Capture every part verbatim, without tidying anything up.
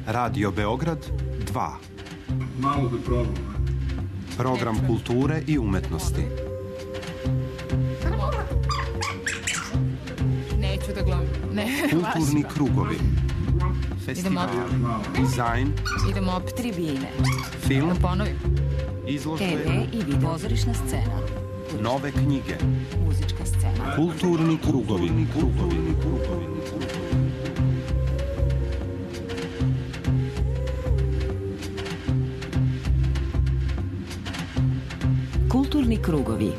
Radio Beograd dva. Malo bi probao. Program kulture i umetnosti. Neću da gledam. Ne, kulturni krugovi. Festival, dizajn, idemo opet tribine, film, da ponovim, izložbe, te ve i video, pozorišna scena, nove knjige, muzička scena, kulturni krugovi, krugovi, krugovi. Kulturni krugovi.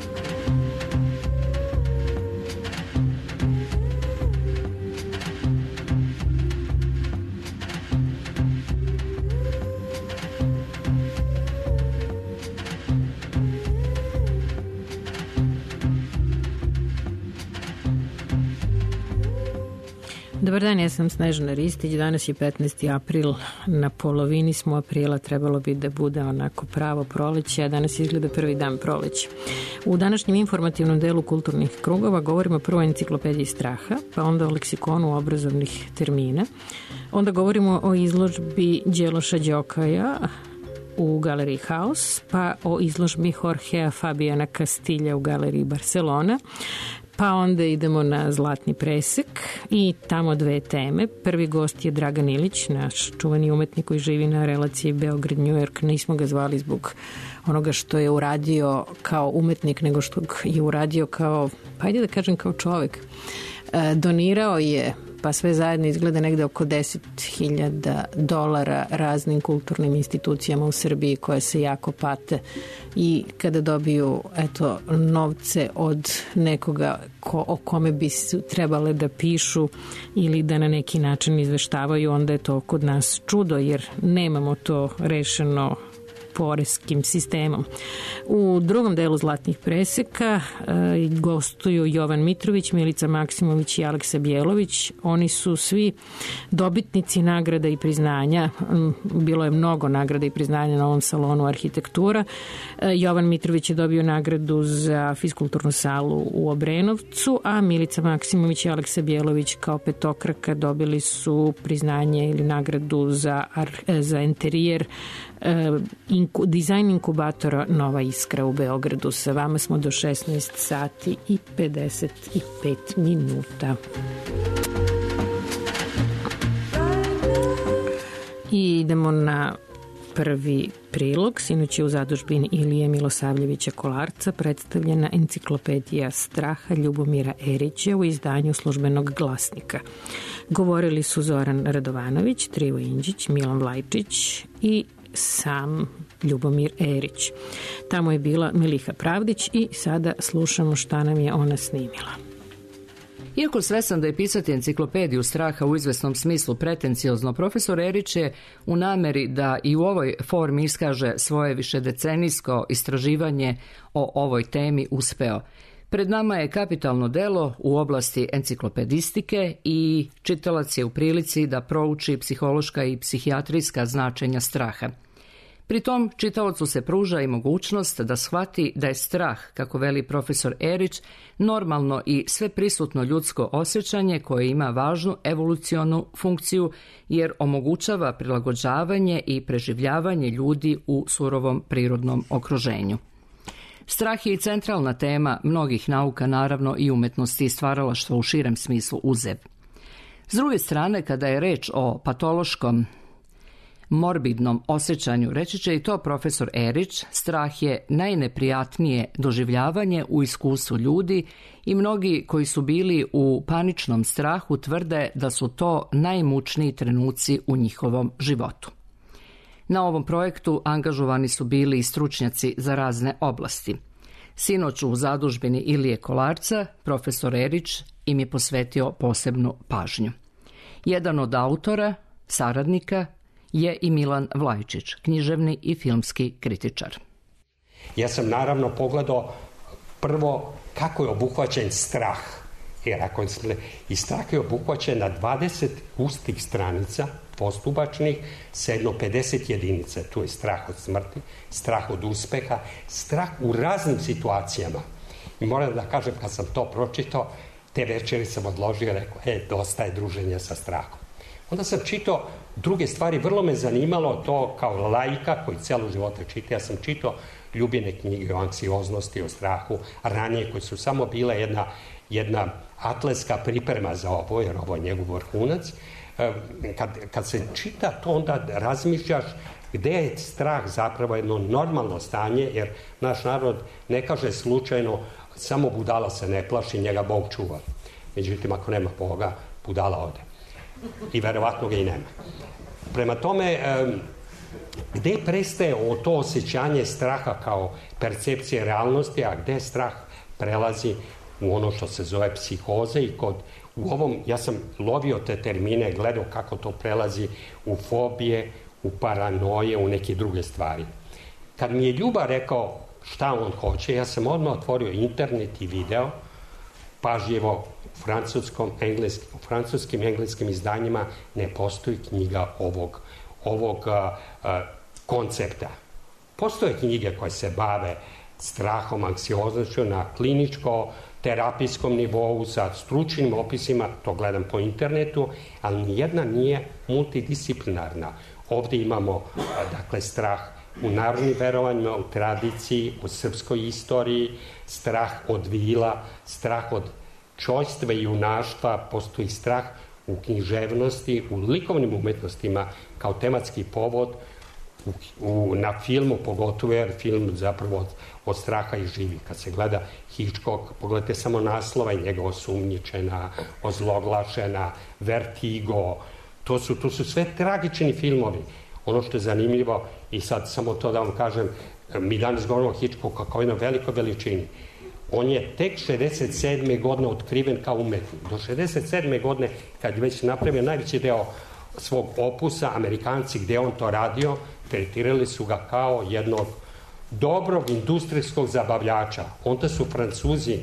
Dobar dan, ja sam Snežana Ristić, danas je petnaesti april, na polovini smo aprila, trebalo bi da bude onako pravo proleće, a danas izgleda prvi dan proleća. U današnjem informativnom delu kulturnih krugova govorimo prvo o enciklopediji straha, pa onda o leksikonu obrazovnih termina, onda govorimo o izložbi Đeloša Đokaja u galeriji Haus, pa o izložbi Jorgea Fabiana Castilja u galeriji Barcelona, pa onda idemo na Zlatni presek i tamo dve teme. Prvi gost je Dragan Ilić, naš čuveni umetnik koji živi na relaciji Beograd-New York. Nismo ga zvali zbog onoga što je uradio kao umetnik, nego što je uradio kao, pa ajde da kažem kao čovek. E, donirao je, pa sve zajedno izgleda negde oko deset hiljada dolara raznim kulturnim institucijama u Srbiji koje se jako pate i kada dobiju eto, novce od nekoga ko, o kome bi trebale da pišu ili da na neki način izveštavaju, onda je to kod nas čudo jer nemamo to rešeno poreskim sistemom. U drugom delu Zlatnih preseka e, gostuju Jovan Mitrović, Milica Maksimović i Aleksa Bjelović. Oni su svi dobitnici nagrada i priznanja. Bilo je mnogo nagrada i priznanja na ovom salonu arhitektura. E, Jovan Mitrović je dobio nagradu za fiskulturnu salu u Obrenovcu, a Milica Maksimović i Aleksa Bjelović kao petokraka dobili su priznanje ili nagradu za, za interijer Inku, dizajn inkubatora Nova Iskra u Beogradu. Sa vama smo do šesnaest sati i pedeset pet minuta. I idemo na prvi prilog. Sinoć je u zadužbini Ilije Milosavljevića Kolarca predstavljena enciklopedija straha Ljubomira Erića u izdanju Službenog glasnika. Govorili su Zoran Radovanović, Trivo Inđić, Milan Vlajčić i sam Ljubomir Erić. Tamo je bila Miliha Pravdić i sada slušamo šta nam je ona snimila. Iako svestan da je pisati enciklopediju straha u izvesnom smislu pretenciozno, profesor Erić je u nameri da i u ovoj formi iskaže svoje višedecenijsko istraživanje o ovoj temi uspeo. Pred nama je kapitalno delo u oblasti enciklopedistike i čitalac je u prilici da prouči psihološka i psihijatrijska značenja straha. Pri tom čitaocu se pruža i mogućnost da shvati da je strah, kako veli profesor Erić, normalno i sveprisutno ljudsko osjećanje koje ima važnu evolucionu funkciju jer omogućava prilagođavanje i preživljavanje ljudi u surovom prirodnom okruženju. Strah je i centralna tema mnogih nauka, naravno i umetnosti i stvaralaštva u širem smislu uzev. S druge strane, kada je reč o patološkom morbidnom osjećanju, reći će i to profesor Erić, strah je najneprijatnije doživljavanje u iskustvu ljudi i mnogi koji su bili u paničnom strahu tvrde da su to najmučniji trenuci u njihovom životu. Na ovom projektu angažovani su bili i stručnjaci za razne oblasti. Sinoć u zadužbini Ilije Kolarca, profesor Erić im je posvetio posebnu pažnju. Jedan od autora, saradnika, je i Milan Vlajčić, književni i filmski kritičar. Ja sam naravno pogledao prvo kako je obuhvaćen strah. Jer ako smo, i strah je obuhvaćen na dvadeset pustih stranica postupačnih sa jedno pedeset jedinica. Tu je strah od smrti, strah od uspeha, strah u raznim situacijama. I moram da kažem, kad sam to pročitao, te večeri sam odložio i rekao, e, dosta je druženja sa strahom. Onda sam čitao druge stvari, vrlo me zanimalo to kao laika koji celo života čita. Ja sam čitao ljubljene knjige o anksioznosti, o strahu, ranije koje su samo bile jedna, jedna atletska priprema za ovo, jer ovo je njegov vrhunac. Kad, kad se čita to, onda razmišljaš gde je strah zapravo jedno normalno stanje, jer naš narod ne kaže slučajno samo budala se ne plaši, njega Bog čuva. Međutim, ako nema Boga, budala ode. I verovatno ga i nema. Prema tome, gde prestaje to osjećanje straha kao percepcije realnosti, a gde strah prelazi u ono što se zove psihoza i kod u ovom, ja sam lovio te termine, gledao kako to prelazi u fobije, u paranoje, u neke druge stvari. Kad mi je Ljuba rekao šta on hoće, ja sam odmah otvorio internet i video, pažljivo u francuskom, engleskim, u francuskim engleskim izdanjima ne postoji knjiga ovog, ovog a, a, koncepta. Postoje knjige koje se bave strahom, anksioznošću na kliničko terapijskom nivou sa stručnim opisima, to gledam po internetu, ali nijedna nije multidisciplinarna. Ovde imamo, dakle, strah u narodnim verovanjima, u tradiciji, u srpskoj istoriji, strah od vila, strah od čojstva i junaštva, postoji strah u književnosti, u likovnim umetnostima kao tematski povod, u, u, na filmu pogotovo, jer film zapravo od, od straha i živi. Kad se gleda Hitchcock, pogledajte samo naslova i njega Osumnjičena, Ozloglašena, Vertigo, to su, to su sve tragični filmovi. Ono što je zanimljivo, i sad samo to da vam kažem, mi danas govorimo o Hitchcocku kao jednoj velikoj veličini. On je tek šezdeset sedme godine otkriven kao umetnik. Do šezdeset sedme godine, kad je već napravio najveći deo svog opusa, Amerikanci gde on to radio, tretirali su ga kao jednog dobrog industrijskog zabavljača. Onda su Francuzi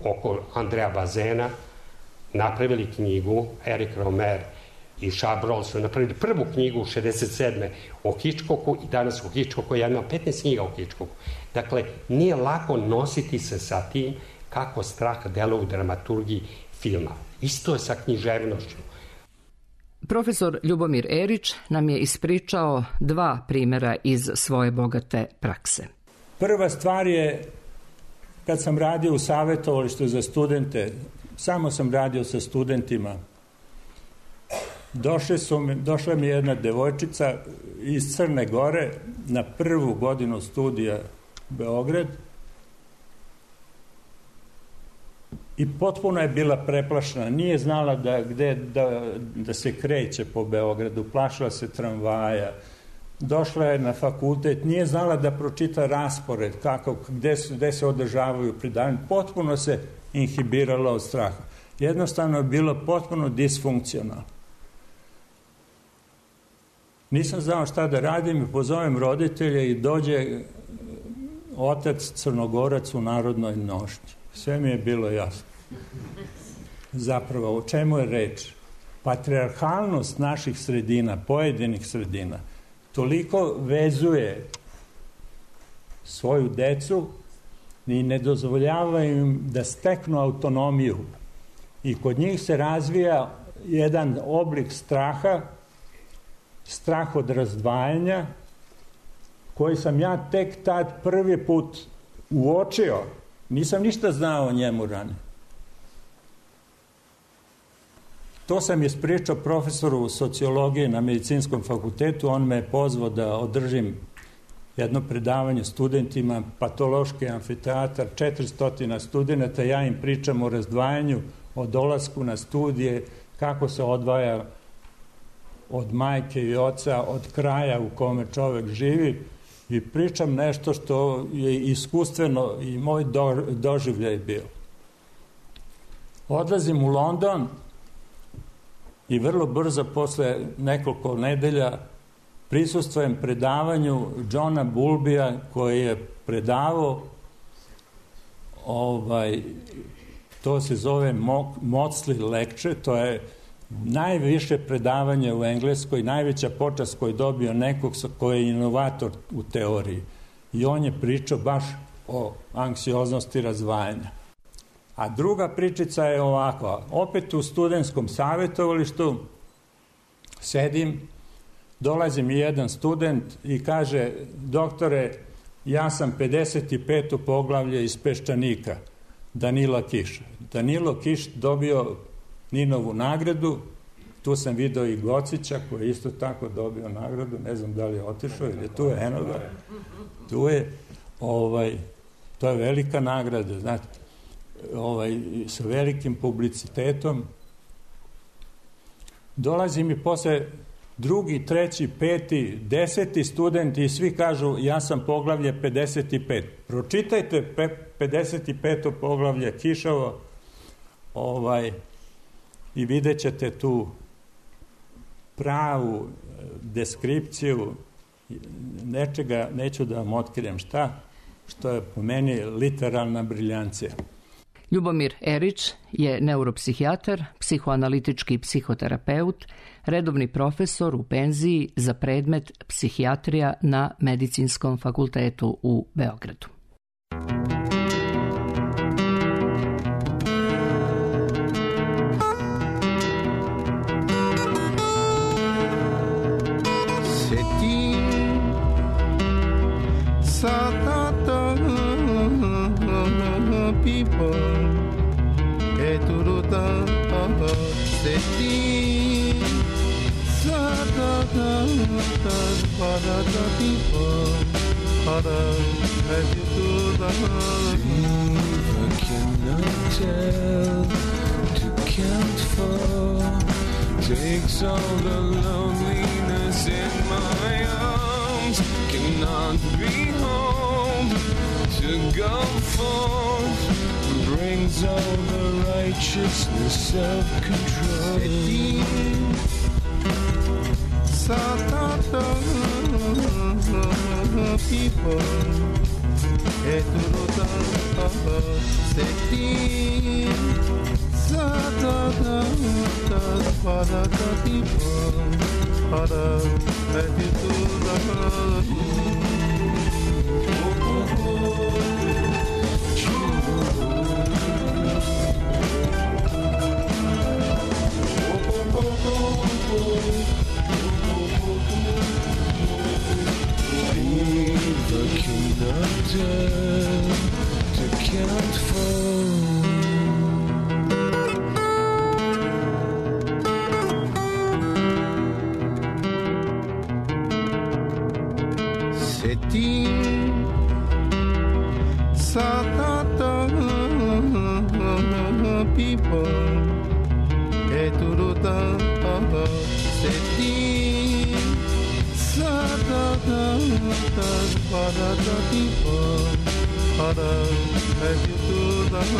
oko Andrea Bazena napravili knjigu, Eric Romer i Chabrol su napravili prvu knjigu u šezdeset sedme o Hitchcocku i danas o Hitchcocku, ja imam petnaest knjiga o Hitchcocku. Dakle, nije lako nositi se sa tim kako strah deluje u dramaturgiji filma. Isto je sa književnošću. Profesor Ljubomir Erić nam je ispričao dva primjera iz svoje bogate prakse. Prva stvar je, kad sam radio u savjetovalištu za studente, samo sam radio sa studentima, Došle su mi, došla mi jedna devojčica iz Crne Gore na prvu godinu studija Beograd i potpuno je bila preplašena. Nije znala da, gde, da, da se kreće po Beogradu, plašila se tramvaja. Došla je na fakultet, nije znala da pročita raspored, kako, gde, su, gde se održavaju predavanja. Potpuno se inhibirala od straha. Jednostavno je bilo potpuno disfunkcionalno. Nisam znao šta da radim i pozovem roditelje i dođe otac Crnogorac u narodnoj nošnji. Sve mi je bilo jasno. Zapravo, o čemu je reč? Patrijarhalnost naših sredina, pojedinih sredina, toliko vezuje svoju decu i ne dozvoljava im da steknu autonomiju. I kod njih se razvija jedan oblik straha, strah od razdvajanja, koji sam ja tek tad prvi put uočio. Nisam ništa znao o njemu ranije. To sam ispričao profesoru sociologije na medicinskom fakultetu. On me je pozvao da održim jedno predavanje studentima, patološki amfiteatar, četiristo studenta, ja im pričam o razdvajanju, o dolasku na studije, kako se odvaja od majke i oca, od kraja u kome čovek živi, i pričam nešto što je iskustveno i moj do, doživljaj bio. Odlazim u London i vrlo brzo posle nekoliko nedelja prisustvujem predavanju Johna Bulbija, koji je predavao, ovaj, to se zove Maudsley Lecture, to je najviše predavanje u Engleskoj, najveća počast koju je dobio nekog koji je inovator u teoriji. I on je pričao baš o anksioznosti razdvajanja. A druga pričica je ovakva. Opet u studentskom savjetovalištu sedim, dolazi mi jedan student i kaže, doktore, ja sam pedeset peto poglavlje iz Peščanika, Danila Kiš. Danilo Kiš dobio Ninovu nagradu, tu sam video i Gocića koji je isto tako dobio nagradu, ne znam da li je otišao ili tu je, eno ga, tu je, ovaj, to je velika nagrada, znate, ovaj, sa velikim publicitetom. Dolazi mi posle drugi, treći, peti, deseti studenti i svi kažu ja sam poglavlje pedeset pet. Pročitajte pe, pedeset peto poglavlje Kišovo ovaj, i vidjet ćete tu pravu deskripciju nečega, neću da vam otkrijem šta, što je po meni literalna briljancija. Ljubomir Erić je neuropsihijatar, psihoanalitički psihoterapeut, redovni profesor u penziji za predmet psihijatrija na Medicinskom fakultetu u Beogradu. Takes all the loneliness in my arms, cannot be home to go forth, brings all the righteousness of control. Satata people, eturuta seti. Satata parata people, para eturuta. To count for setting satata people eturuta setting satata parata people para eturuta.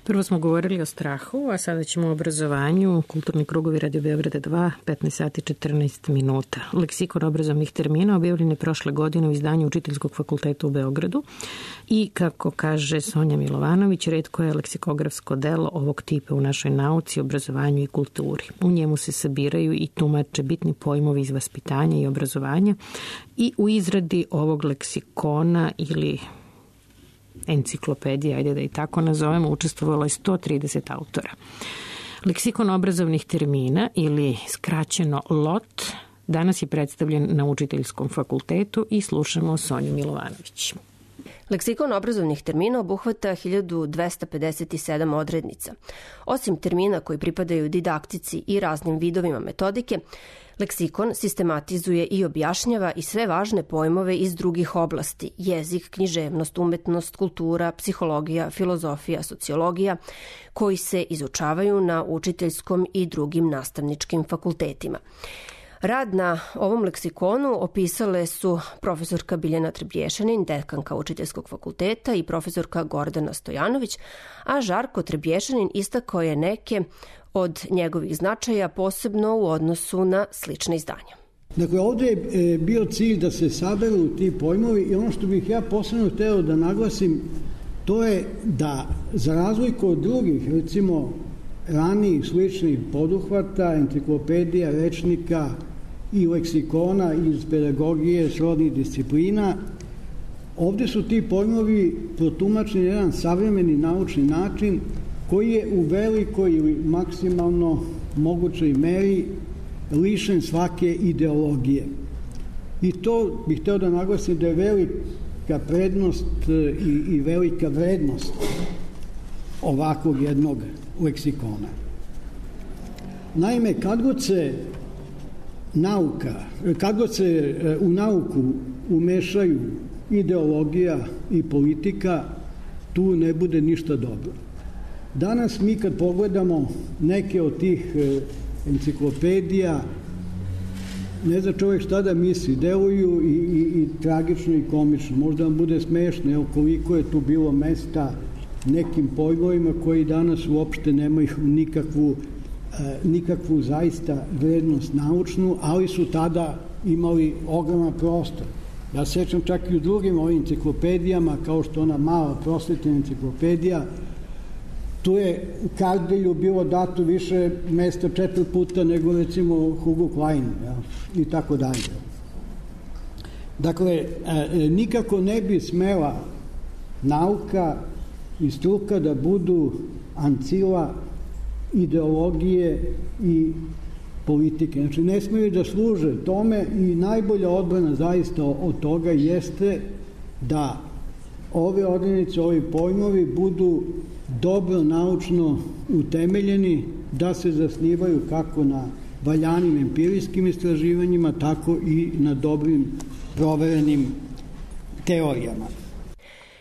Prvo smo govorili o strahu, a sada ćemo o obrazovanju. Kulturni krugovi Radio Beograda dva, petnaest sati četrnaest minuta. Leksikon obrazovnih termina objavljen je prošle godine u izdanju Učiteljskog fakulteta u Beogradu i, kako kaže Sonja Milovanović, retko je leksikografsko delo ovog tipa u našoj nauci, obrazovanju i kulturi. U njemu se sabiraju i tumače bitni pojmovi iz vaspitanja i obrazovanja i u izradi ovog leksikona ili enciklopedije, ajde da i tako nazovemo, učestvovalo je sto trideset autora. Leksikon obrazovnih termina ili skraćeno L O T danas je predstavljen na Učiteljskom fakultetu i slušamo Sonju Milovanović. Leksikon obrazovnih termina obuhvata hiljadu dvesta pedeset sedam odrednica. Osim termina koji pripadaju didaktici i raznim vidovima metodike, leksikon sistematizuje i objašnjava i sve važne pojmove iz drugih oblasti: jezik, književnost, umetnost, kultura, psihologija, filozofija, sociologija, koji se izučavaju na učiteljskom i drugim nastavničkim fakultetima. Rad na ovom leksikonu opisale su profesorka Biljana Trebješanin, dekanka Učiteljskog fakulteta, i profesorka Gordana Stojanović, a Žarko Trebješanin istakao je neke od njegovih značaja, posebno u odnosu na slične izdanja. Dakle, ovdje je bio cilj da se saberu ti pojmovi i ono što bih ja posebno hteo da naglasim, to je da za razliku od drugih, recimo ranijih sličnih poduhvata, enciklopedija, rečnika i leksikona iz pedagogije, srodnih disciplina, ovdje su ti pojmovi protumačeni na jedan savremeni naučni način koji je u velikoj ili maksimalno mogućoj meri lišen svake ideologije. I to bih hteo da naglasim da je velika prednost i, i velika vrednost ovakvog jednog leksikona. Naime, kad god se nauka, kad god se u nauku umešaju ideologija i politika, tu ne bude ništa dobro. Danas mi kad pogledamo neke od tih enciklopedija, ne zna čovjek šta da misli, deluju i, i, i tragično i komično. Možda vam bude smešno, evo koliko je tu bilo mesta nekim pojmovima koji danas uopšte nemaju nikakvu, e, nikakvu zaista vrednost naučnu, ali su tada imali ogroman prostor. Ja sećam čak i u drugim ovim enciklopedijama, kao što ona mala prosvetna enciklopedija, tu je u Kardelju bilo dato više mesta četiri puta nego recimo Hugo Klein, ja, i tako dalje. Dakle, e, nikako ne bi smela nauka i struka da budu ancila ideologije i politike. Znači, ne smiju da služe tome i najbolja odbrana zaista od toga jeste da ove odrednice, ovi pojmovi budu dobro naučno utemeljeni, da se zasnivaju kako na valjanim empirijskim istraživanjima, tako i na dobrim proverenim teorijama.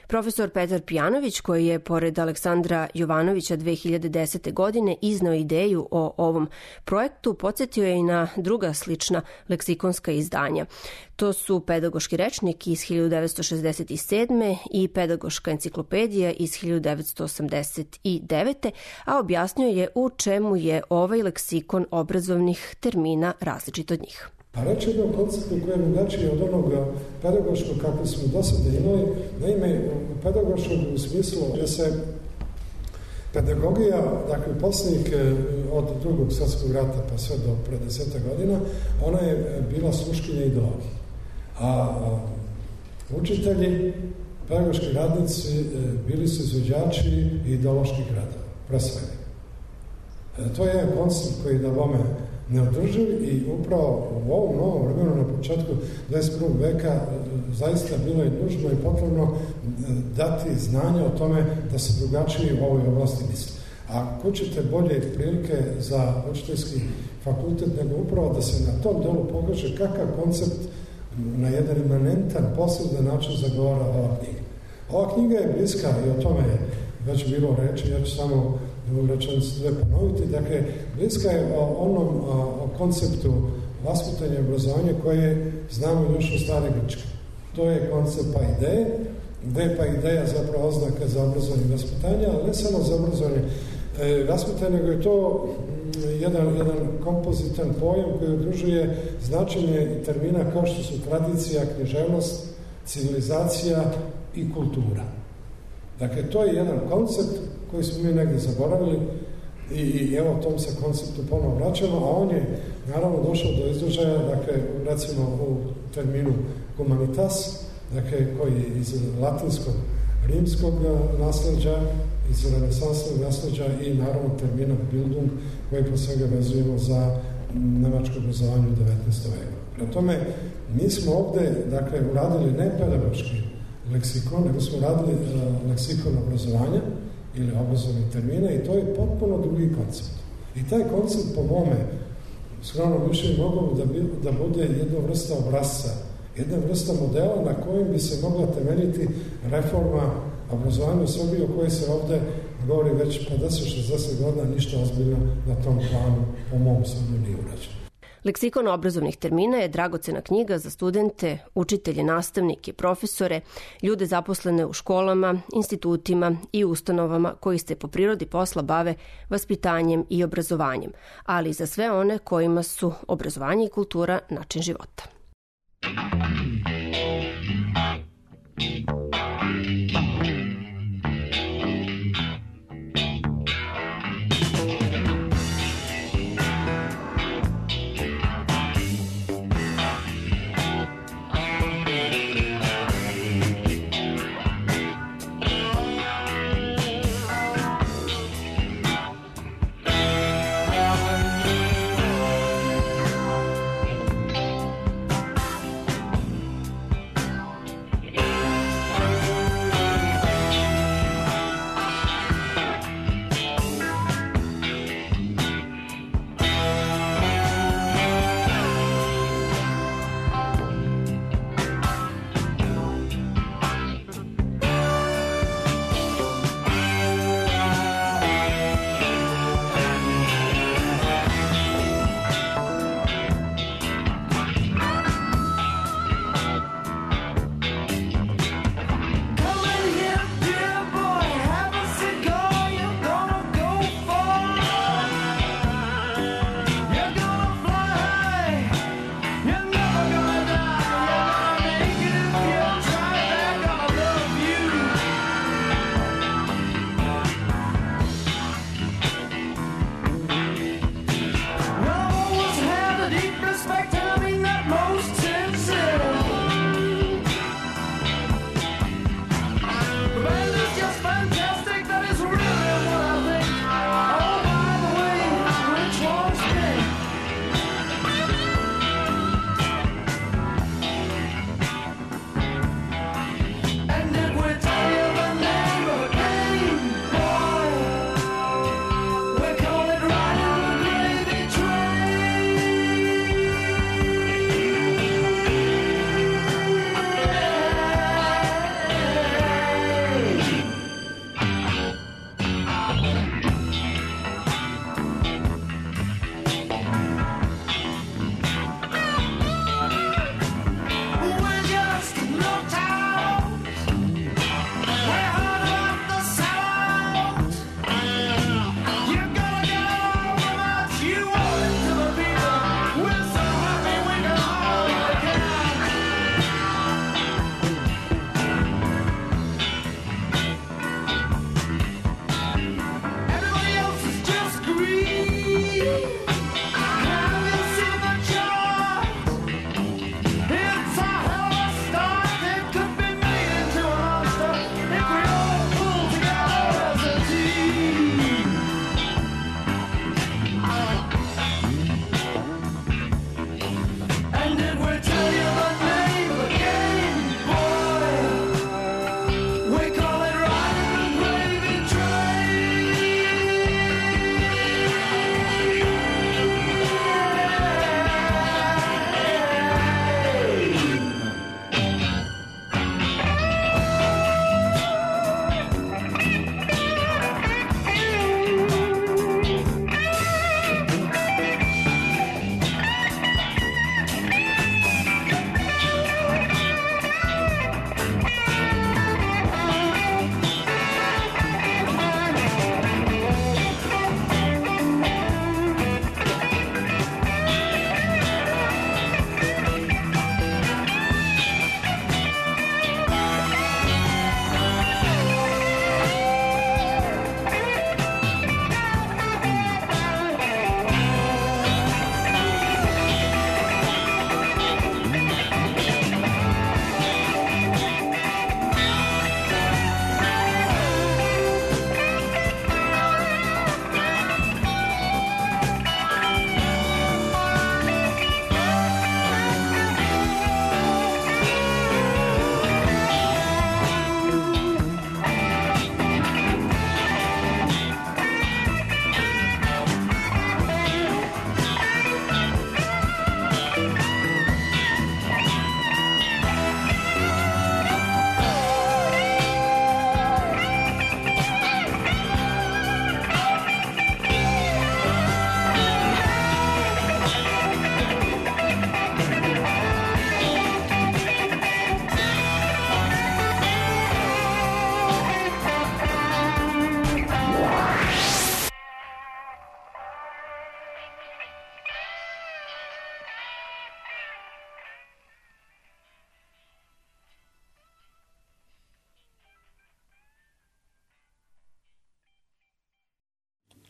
Profesor Petar Pijanović, koji je pored Aleksandra Jovanovića dve hiljade desete. godine iznao ideju o ovom projektu, podsjetio je i na druga slična leksikonska izdanja. To su Pedagoški rečnik iz hiljadu devetsto šezdeset sedme. i Pedagoška enciklopedija iz hiljadu devetsto osamdeset devete. a objasnio je u čemu je ovaj leksikon obrazovnih termina različit od njih. A reći jednom konceptu koji je drugačiji od onog pedagoškog kako smo do sada imali, naime pedagoškog u smislu da se pedagogija, dakle posljednjih od drugog svjetskog rata pa sve do pre deseta godina, ona je bila sluškinja ideologije. A učitelji, pedagoški radnici bili su izvođači ideoloških radova, pre svega. To je jedan koncept koji da vome neodrživ i upravo u ovom novom vremenu na početku dvadeset prvog veka zaista bilo je nužno i potrebno dati znanje o tome da se drugačije u ovoj oblasti misli. A ko ćete bolje prilike za učiteljski fakultet nego upravo da se na tom delu pokaže kakav koncept na jedan imanentan, posebno način zagovara ova knjiga. Ova knjiga je bliska i o tome je već bilo reči, ja ću samo rečenicu dve ponoviti. Dakle, bliska je o onom o konceptu vaspitanja i obrazovanja koje znamo još u stare Grčke. To je koncept ideje gde je pa ideja zapravo oznaka za obrazovanje i vaspitanje, ali ne samo za obrazovanje i vaspitanje, nego je to jedan, jedan kompozitan pojam koji udružuje značenje termina kao što su tradicija, književnost, civilizacija i kultura. Dakle, to je jedan koncept koji smo mi negdje zaboravili i, i evo tom se konceptu ponovo vraćamo, a on je naravno došao do izražaja, dakle, recimo u terminu humanitas, dakle, koji je iz latinskog, rimskog nasleđa, iz renesansnog nasleđa i naravno termina Bildung, koji po svega vezujemo za nemačko obrazovanje u devetnaestom veku. Prema tome, mi smo ovde, dakle, uradili ne pedagoški leksikon, nego smo uradili uh, leksikon obrazovanja ili obrazovnih termina i to je potpuno drugi koncept. I taj koncept, po mome, skromno više mogao da, bi, da bude jedna vrsta obrazca, jedna vrsta modela na kojem bi se mogla temeljiti reforma obrazovanja u Srbiji, o kojoj se ovde govori već pedeset šezdeset godina, ništa ozbiljno na tom planu, po mom sudu, nije urađeno. Leksikon obrazovnih termina je dragocena knjiga za studente, učitelje, nastavnike, profesore, ljude zaposlene u školama, institutima i ustanovama koji se po prirodi posla bave vaspitanjem i obrazovanjem, ali i za sve one kojima su obrazovanje i kultura način života.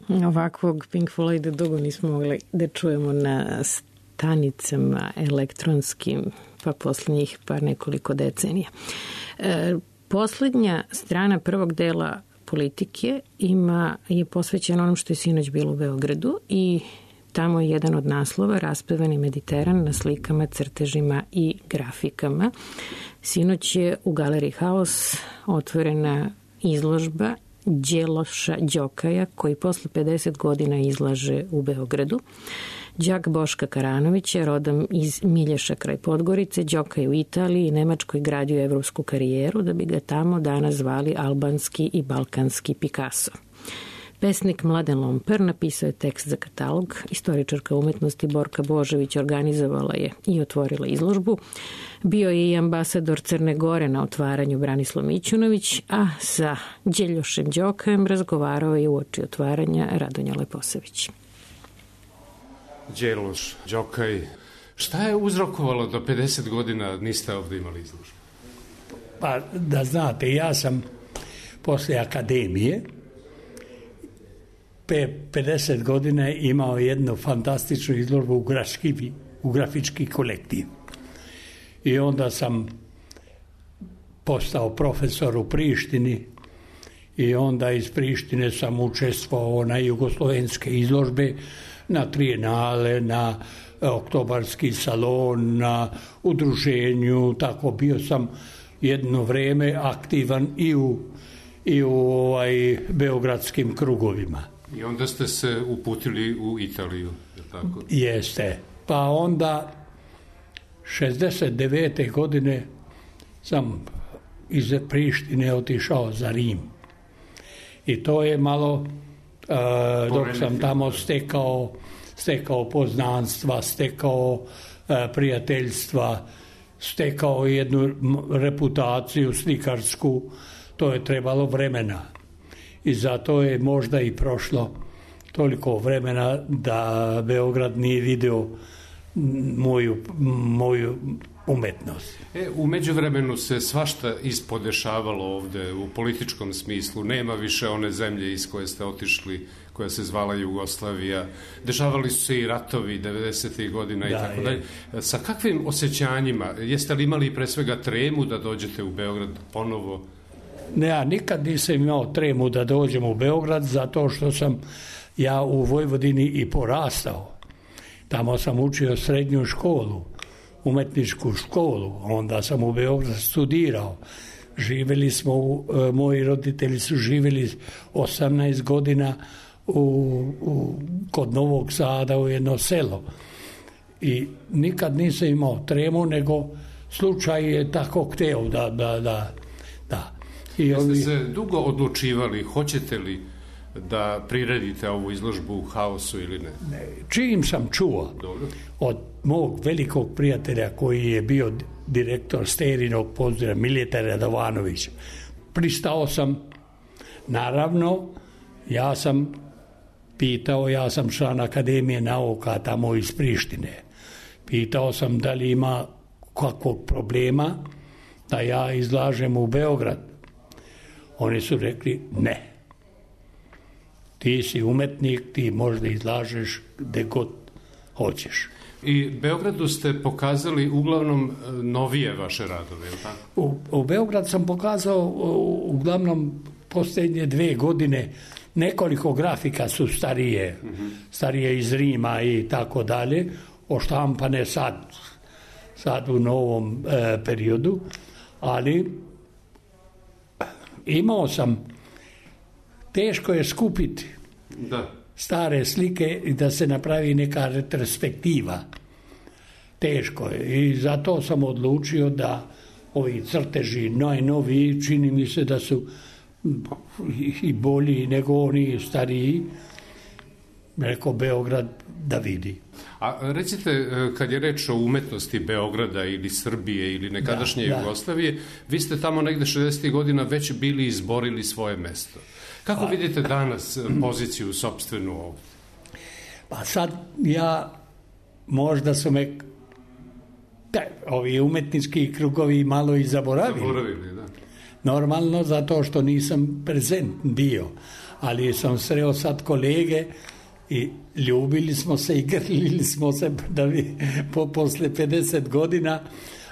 Ovakvog Pink Floyda dugo nismo mogli da čujemo na stanicama elektronskim, pa posle njih par nekoliko decenija. E, poslednja strana prvog dela Politike ima, je posvećena onom što je sinoć bilo u Beogradu i tamo je jedan od naslova Raspevani Mediteran na slikama, crtežima i grafikama. Sinoć je u Galeriji Haos otvorena izložba Đeloša Đokaja, koji posle pedeset godina izlaže u Beogradu. Đak Boška Karanovića, rodom iz Milješa kraj Podgorice, Đokaj u Italiji i Nemačkoj gradio evropsku karijeru, da bi ga tamo danas zvali albanski i balkanski Picasso. Pesnik Mladen Lomper napisao je tekst za katalog, istoričarka umetnosti Borka Božević organizovala je i otvorila izložbu. Bio je i ambasador Crne Gore na otvaranju Branislav Mićunović, a sa Đeljošem Đokajem razgovarao je uoči otvaranja Radonja Leposević. Đeloš Đokaj, šta je uzrokovalo da pedeset godina niste ovde imali izložbu? Pa da znate, ja sam posle akademije pe pedeset godina imao jednu fantastičnu izložbu u, graški, u grafički kolektiv. I onda sam postao profesor u Prištini i onda iz Prištine sam učestvovao na jugoslovenske izložbe, na trijenale, na oktobarski salon, na udruženju, tako bio sam jedno vreme aktivan i u, i u ovaj, beogradskim krugovima. I onda ste se uputili u Italiju, je tako? Jeste. Pa onda šezdeset devete godine sam iz Prištine otišao za Rim. I to je malo, uh, dok sam tamo stekao, stekao poznanstva, stekao uh, prijateljstva, stekao jednu reputaciju slikarsku, to je trebalo vremena. I zato je možda i prošlo toliko vremena da Beograd nije video moju, moju umetnost. E, u međuvremenu se svašta ispodešavalo ovde u političkom smislu. Nema više one zemlje iz koje ste otišli, koja se zvala Jugoslavija. Dešavali su se i ratovi devedesetih godina i da, tako dalje. Sa kakvim osjećanjima? Jeste li imali pre svega tremu da dođete u Beograd ponovo? Ne, ja nikad nisam imao tremu da dođem u Beograd, zato što sam ja u Vojvodini i porastao. Tamo sam učio srednju školu, umetničku školu, onda sam u Beograd studirao. Živeli smo, u, moji roditelji su živeli osamnaest godina u, u, kod Novog Sada u jedno selo. I nikad nisam imao tremu, nego slučaj je tako hteo da, da, da, da. I Jeste ovi... se dugo odlučivali, hoćete li da priredite ovu izložbu u Haosu ili ne? ne čim sam čuo Dobro. Od mog velikog prijatelja koji je bio direktor Sterinog pozdrava Mileta Radovanovića, pristao sam. Naravno, ja sam pitao, ja sam član Akademije nauka tamo iz Prištine. Pitao sam da li ima kakvog problema da ja izlažem u Beograd. Oni su rekli ne. Ti si umetnik, ti možda izlažeš gde god hoćeš. I Beogradu ste pokazali uglavnom novije vaše radove, je li tako? U, u Beograd sam pokazao uglavnom posljednje dve godine nekoliko grafika su starije, mm-hmm. starije iz Rima i tako dalje, oštampane sad, sad u novom e, periodu, ali imao sam, teško je skupiti da. stare slike i da se napravi neka retrospektiva. Teško je i zato sam odlučio da ovi crteži najnoviji, čini mi se da su i bolji nego oni stariji, rekao Beograd da vidi. A recite, kad je reč o umetnosti Beograda ili Srbije ili nekadašnje da, Jugoslavije, da. Vi ste tamo negde šezdesetih godina već bili izborili svoje mesto. Kako pa, vidite danas poziciju sopstvenu ovdje? Pa sad ja, možda su me te, ovi umetnički krugovi malo i zaboravili. Zaboravili, da. Normalno, zato što nisam prezent bio. ali sam sreo sad kolege i ljubili smo se i grlili smo se da bi po, posle pedeset godina,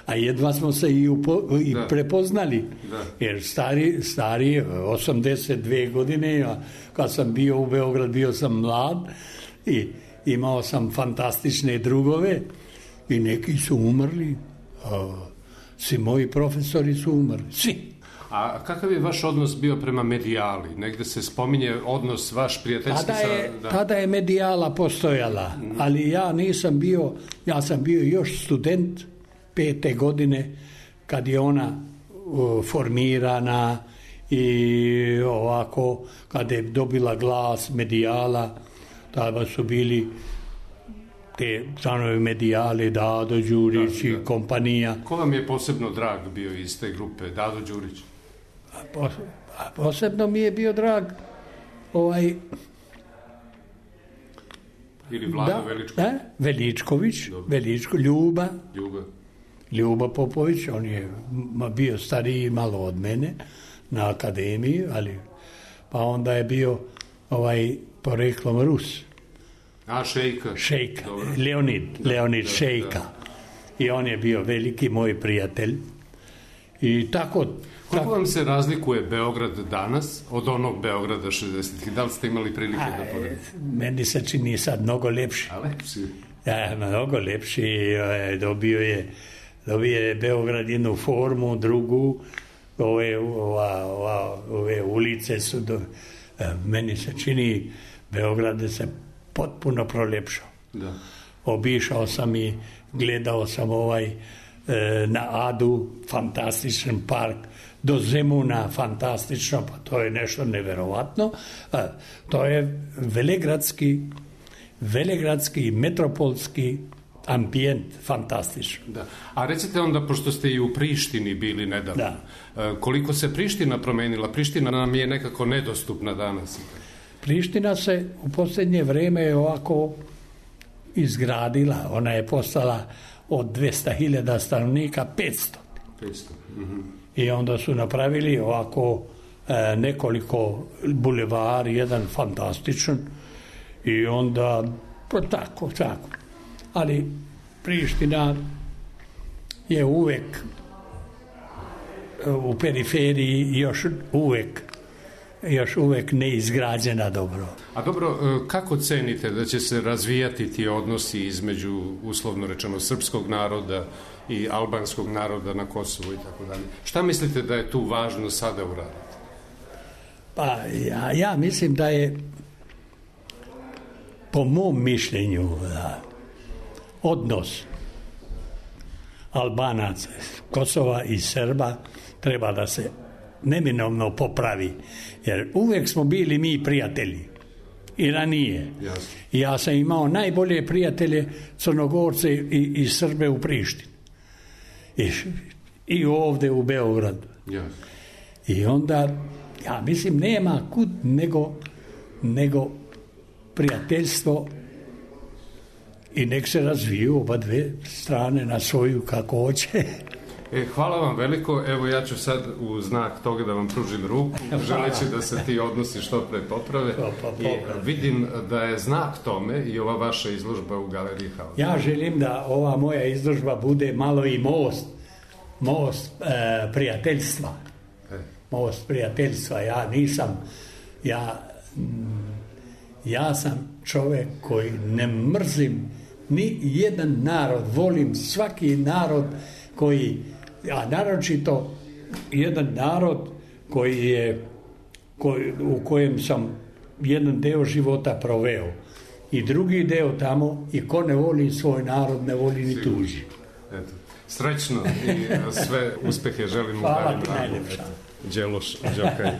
a jedva smo se i, upo, i prepoznali. Da. Jer stari, stari osamdeset dve godine, a kad sam bio u Beograd, bio sam mlad i imao sam fantastične drugove i neki su umrli. A, svi moji profesori su umrli. Svi. A kakav je vaš odnos bio prema medijali? Negde se spominje odnos vaš prijateljski tada je, sa... Da. Tada je medijala postojala, ali ja nisam bio, ja sam bio još student pete godine kad je ona uh, formirana i ovako, kad je dobila glas medijala, tada su bili te članovi medijale, Dado Đurić da, da. i kompanija. Ko vam je posebno drag bio iz te grupe, Dado Đurić? A, a posebno mi je bio drag ovaj... Ili Vlado da, Veličković? Da, Veličković, Veličko, Ljuba. Ljuba. Ljuba Popović, on je bio stariji malo od mene na akademiji, ali pa onda je bio ovaj poreklom Rus. A, Šejka. Šejka, Leonid, Leonid da, Šejka. Da. I on je bio veliki moj prijatelj. I tako... Kako vam se razlikuje Beograd danas od onog Beograda šezdesetih? Da li ste imali prilike a, da poredite? Meni se čini sad mnogo lepši. A lepši? Ja, mnogo lepši. Dobio je, dobio je Beograd jednu formu, drugu. Ove, ova, ova, ove ulice su... Do, meni se čini Beograd da se potpuno prolepšao. Da. Obišao sam i gledao sam ovaj e, na Adu, fantastičan park, do Zemuna, fantastično, pa to je nešto neverovatno. E, to je velegradski, velegradski, metropolski ambijent, fantastičan. Da. A recite onda, pošto ste i u Prištini bili nedavno, da. E, koliko se Priština promenila? Priština nam je nekako nedostupna danas. Priština se u posljednje vreme ovako izgradila, ona je postala od dvesta hiljada stanovnika petsto. petsto. Mm-hmm. I onda su napravili ovako e, nekoliko bulevari, jedan fantastičan i onda tako, tako. Ali Priština je uvek u periferiji još uvek još uvek neizgrađena dobro. A dobro, kako cenite da će se razvijati ti odnosi između, uslovno rečeno, srpskog naroda i albanskog naroda na Kosovu i tako dalje? Šta mislite da je tu važno sada uraditi? Pa ja, ja mislim da je po mom mišljenju da odnos Albanaca, Kosova i Srba treba da se neminovno popravi, jer uvek smo bili mi prijatelji i ranije. Jasne. Ja sam imao najbolje prijatelje Crnogorce i, i Srbe u Prištini i, i ovde u Beogradu. Jasne. I onda ja mislim nema kud nego, nego prijateljstvo i nek se razviju oba dve strane na svoju kako hoće. E, hvala vam veliko, evo ja ću sad u znak toga da vam pružim ruku, želeći da se ti odnosi što pre poprave. I vidim da je znak tome i ova vaša izložba u Galeriji Haus. Ja želim da ova moja izložba bude malo i most, most e, prijateljstva. E. Most prijateljstva, ja nisam, ja, ja sam čovek koji ne mrzim ni jedan narod, volim svaki narod koji, a naročito jedan narod koji je, koji, u kojem sam jedan deo života proveo i drugi deo tamo i ko ne voli svoj narod ne voli ni tuđi. Eto, srećno i sve uspehe želim u Hvala ti najlepša. Đeloš, Đokaj.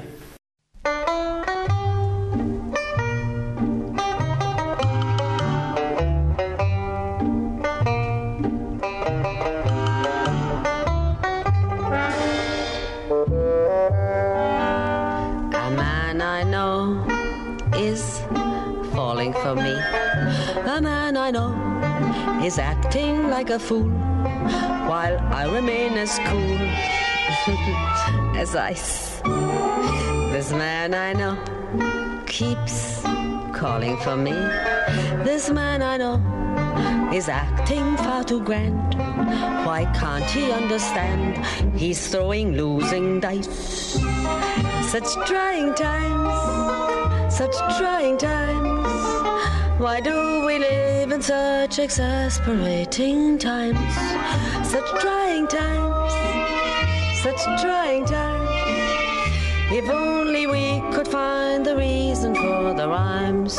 For me, a man I know is acting like a fool while I remain as cool as ice. This man I know keeps calling for me. This man I know is acting far too grand. Why can't he understand? He's throwing losing dice. Such trying times, such trying times. Why do we live in such exasperating times? Such trying times, such trying times. If only we could find the reason for the rhymes.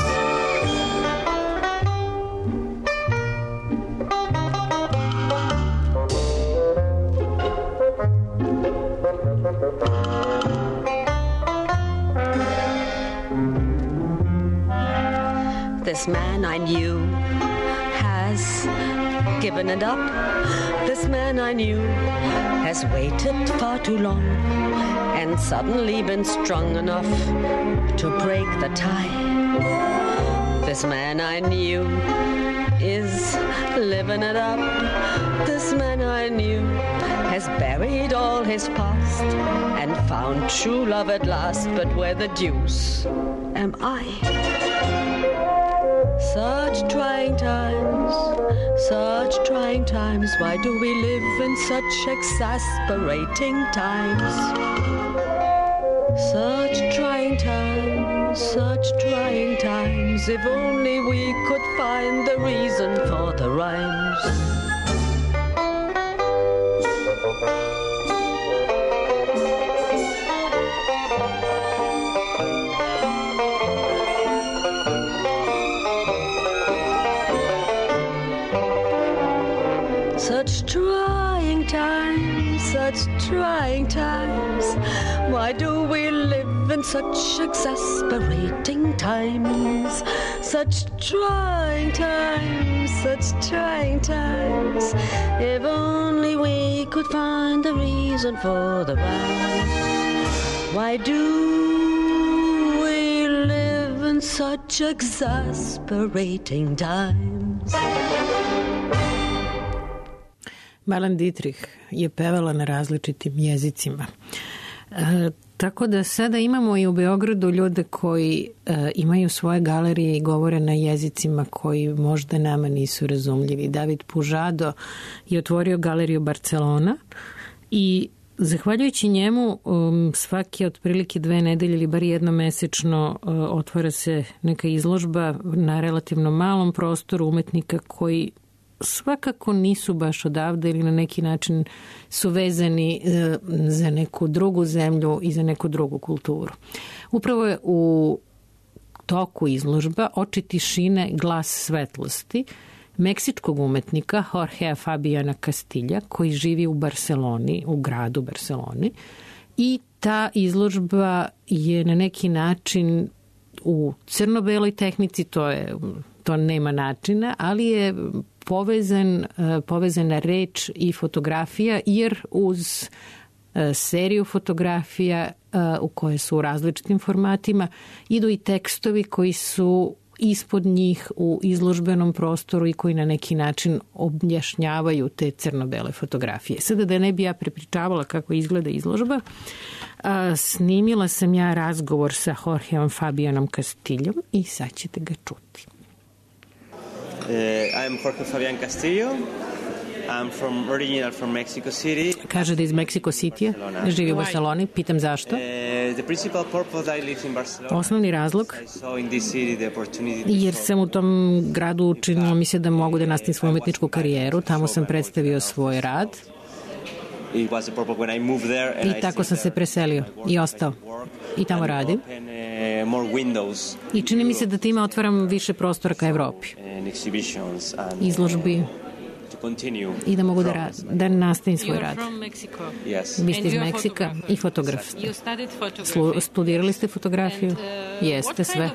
This man I knew has given it up. This man I knew has waited far too long and suddenly been strong enough to break the tie. This man I knew is living it up. This man I knew has buried all his past and found true love at last. But where the deuce am I? Such trying times, such trying times. Why do we live in such exasperating times? Such trying times, such trying times. If only we could find the reason for the rhymes. Such trying times, such trying times. Why do we live in such exasperating times? Such trying times, such trying times. If only we could find the reason for the rhymes. Why do we live in such exasperating times? Marlene Dietrich je pevala na različitim jezicima. E, tako da sada imamo i u Beogradu ljude koji e, imaju svoje galerije i govore na jezicima koji možda nama nisu razumljivi. David Pužado je otvorio galeriju Barcelona i zahvaljujući njemu um, svake otprilike dve nedelje ili bar jednomesečno uh, otvara se neka izložba na relativno malom prostoru umetnika koji svakako nisu baš odavde ili na neki način su vezani za neku drugu zemlju i za neku drugu kulturu. Upravo je u toku izložba Oči tišine, glas svetlosti meksičkog umetnika Jorgea Fabiana Castilla koji živi u Barceloni, u gradu Barceloni, i ta izložba je na neki način u crno-beloj tehnici, to je to nema načina, ali je povezan, povezana reč i fotografija, jer uz seriju fotografija u koje su u različitim formatima idu i tekstovi koji su ispod njih u izložbenom prostoru i koji na neki način objašnjavaju te crno-bele fotografije. Sada da ne bi ja prepričavala kako izgleda izložba, snimila sam ja razgovor sa Jorgeom Fabianom Castillom i sad ćete ga čuti. Uh, I'm Jorge Fabian Castillo. I'm from original from Mexico City. Kaže da iz Mexico City, živi u Barceloni. Pitam zašto? Uh, the principal purpose I live in Barcelona. Osnovni razlog I saw in this city the opportunity. Jer sam u tom gradu učinila mi se da mogu da nastavim svoju umetničku karijeru. Tamo sam predstavio svoj rad. It was the purpose when I moved there and I tako sam se preselio i ostao. I tamo radim. I čini mi se da time otvaram više prostora ka Evropi. Izložbi i da mogu da, rad, da nastavim svoj rad. Vi ste iz Meksika i fotograf ste. Slu, studirali ste fotografiju? Jeste, sve.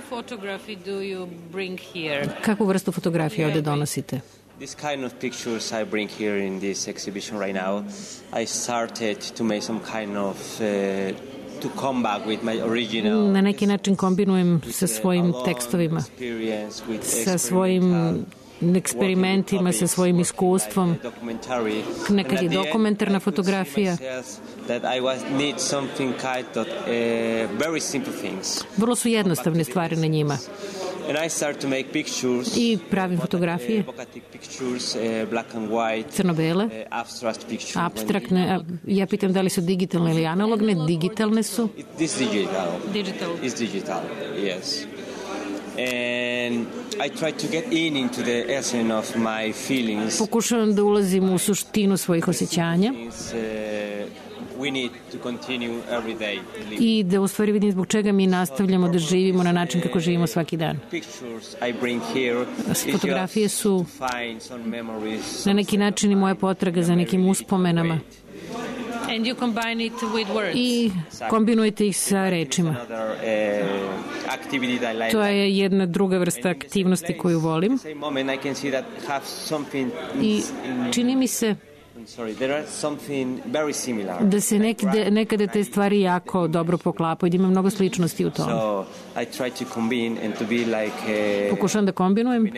Kakvu vrstu fotografije ovde donosite? This kind of pictures I bring here in this exhibition right now, I started to make some kind of uh, to come back with my original. Na neki način kombinujem sa svojim tekstovima, sa svojim eksperimentima, sa svojim iskustvom. Nekad je dokumentarna fotografija. Vrlo su jednostavne stvari na njima. I pravim fotografije, crno-bele, apstraktne. Ja pitam da li su digitalne ili analogne. Digitalne su. Digital. It's digital, yes. And I try to get in into the essence of my feelings. Pokušavam da ulazim u suštinu svojih osjećanja. We need to continue every day. I da u stvari vidim zbog čega mi nastavljamo da živimo na način kako živimo svaki dan. Fotografije su na neki način i moja potraga za nekim uspomenama. And you combine it with words. I kombinujete ih sa rečima. To je jedna druga vrsta aktivnosti koju volim. I čini mi se da se nekde, nekada te stvari jako dobro poklapaju, da ima mnogo sličnosti u tome. Pokušam da kombinujem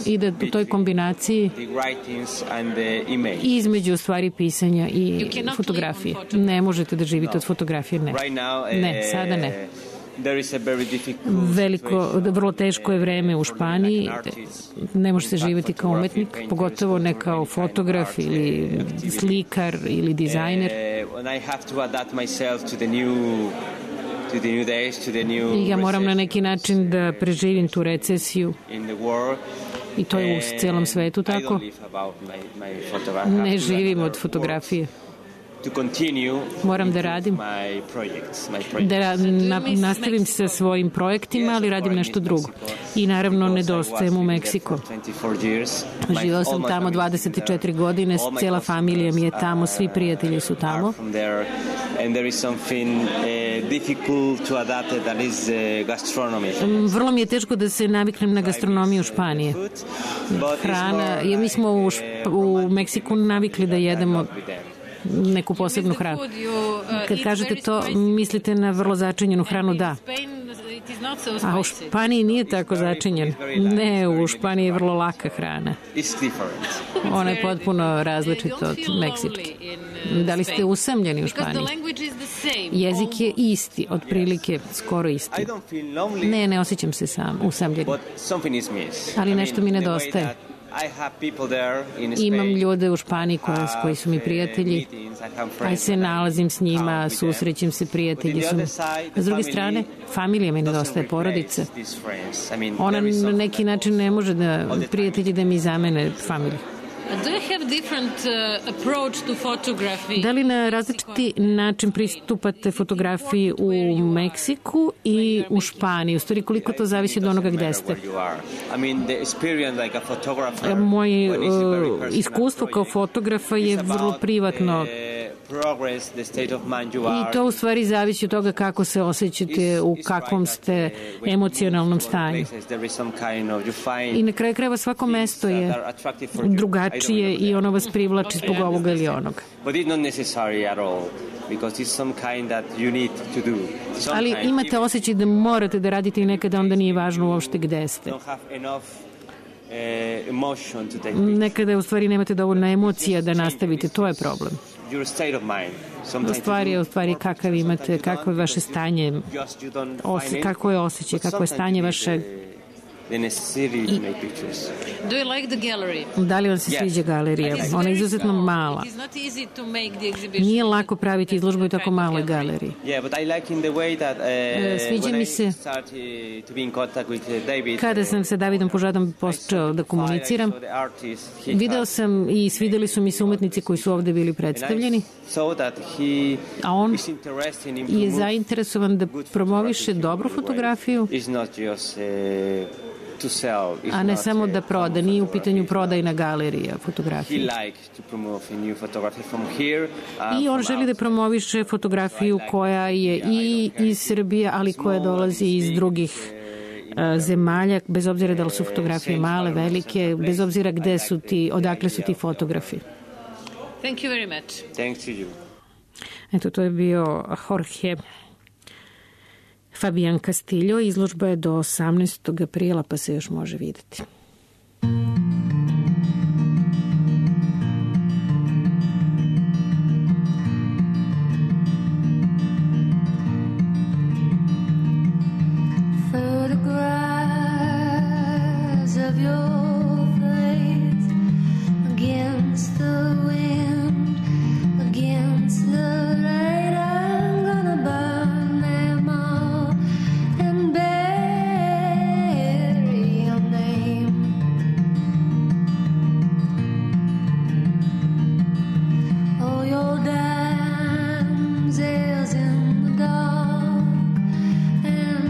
i da u toj kombinaciji između stvari pisanja i fotografije. Ne možete da živite od fotografije, ne. Ne, sada ne. Veliko, vrlo teško je vreme u Španiji, ne može se živjeti kao umetnik, pogotovo ne kao fotograf ili slikar ili dizajner. I ja moram na neki način da preživim tu recesiju i to je u celom svetu tako. Ne živim od fotografije. Moram da radim, da na, nastavim sa svojim projektima, ali radim nešto drugo. I naravno nedostajem u Meksiko. Živao sam tamo dvadeset četiri godine, cijela familija mi je tamo, svi prijatelji su tamo. Vrlo mi je teško da se naviknem na gastronomiju Španije. Hrana, mi smo u, Šp- u Meksiku navikli da jedemo neku posebnu hranu. Kad kažete to, mislite na vrlo začinjenu hranu, da. A u Španiji nije tako začinjen. Ne, u Španiji je vrlo laka hrana. Ona je potpuno različita od meksičke. Da li ste usamljeni u Španiji? Jezik je isti, otprilike skoro isti. Ne, ne osjećam se sam usamljeni. Ali nešto mi nedostaje. Imam ljude u Španiji koji, koji su mi prijatelji, aj se nalazim s njima, susrećem se, prijatelji su mi. A s druge strane, familija mi nedostaje, porodica. Ona na neki način ne može da, prijatelji da mi zamene familiju. Do you have different uh, approach to photography? Da li na različiti način pristupate fotografiji u Meksiku i u Španiji? U stvari, koliko to zavisi od onoga gde ste? Moje uh, iskustvo kao fotografa je vrlo privatno. I to u stvari zavisi od toga kako se osjećate, u kakvom ste emocionalnom stanju. I na kraju krajeva svako mesto je drugačije i ono vas privlači zbog ovoga ili onoga. Ali imate osjećaj da morate da radite i nekada onda nije važno uopšte gde ste. Nekada u stvari nemate dovoljno emocija da nastavite, to je problem. Stvar je u stvari kakav imate, kako je vaše stanje, osje, kako je osjećaj, kako je stanje vaše. Do you like the gallery? Da li vam se sviđa galerija? Ona je izuzetno mala. Nije lako praviti izložbu u tako maloj galeriji. Sviđa mi se kada sam sa Davidom Požadom počeo da komuniciram. Video sam i svideli su mi se umetnici koji su ovde bili predstavljeni. A on je zainteresovan da promoviše dobru fotografiju, a ne samo da proda, nije u pitanju prodajna galerija fotografije. I on želi da promoviše fotografiju koja je i iz Srbije, ali koja dolazi iz drugih zemalja, bez obzira da li su fotografije male, velike, bez obzira gde su ti, odakle su ti fotografi. Thank you very much. Thanks to you. Eto, to je bio Jorge Fabian Castillo. Izložba je do osamnaestog aprila, pa se još može videti.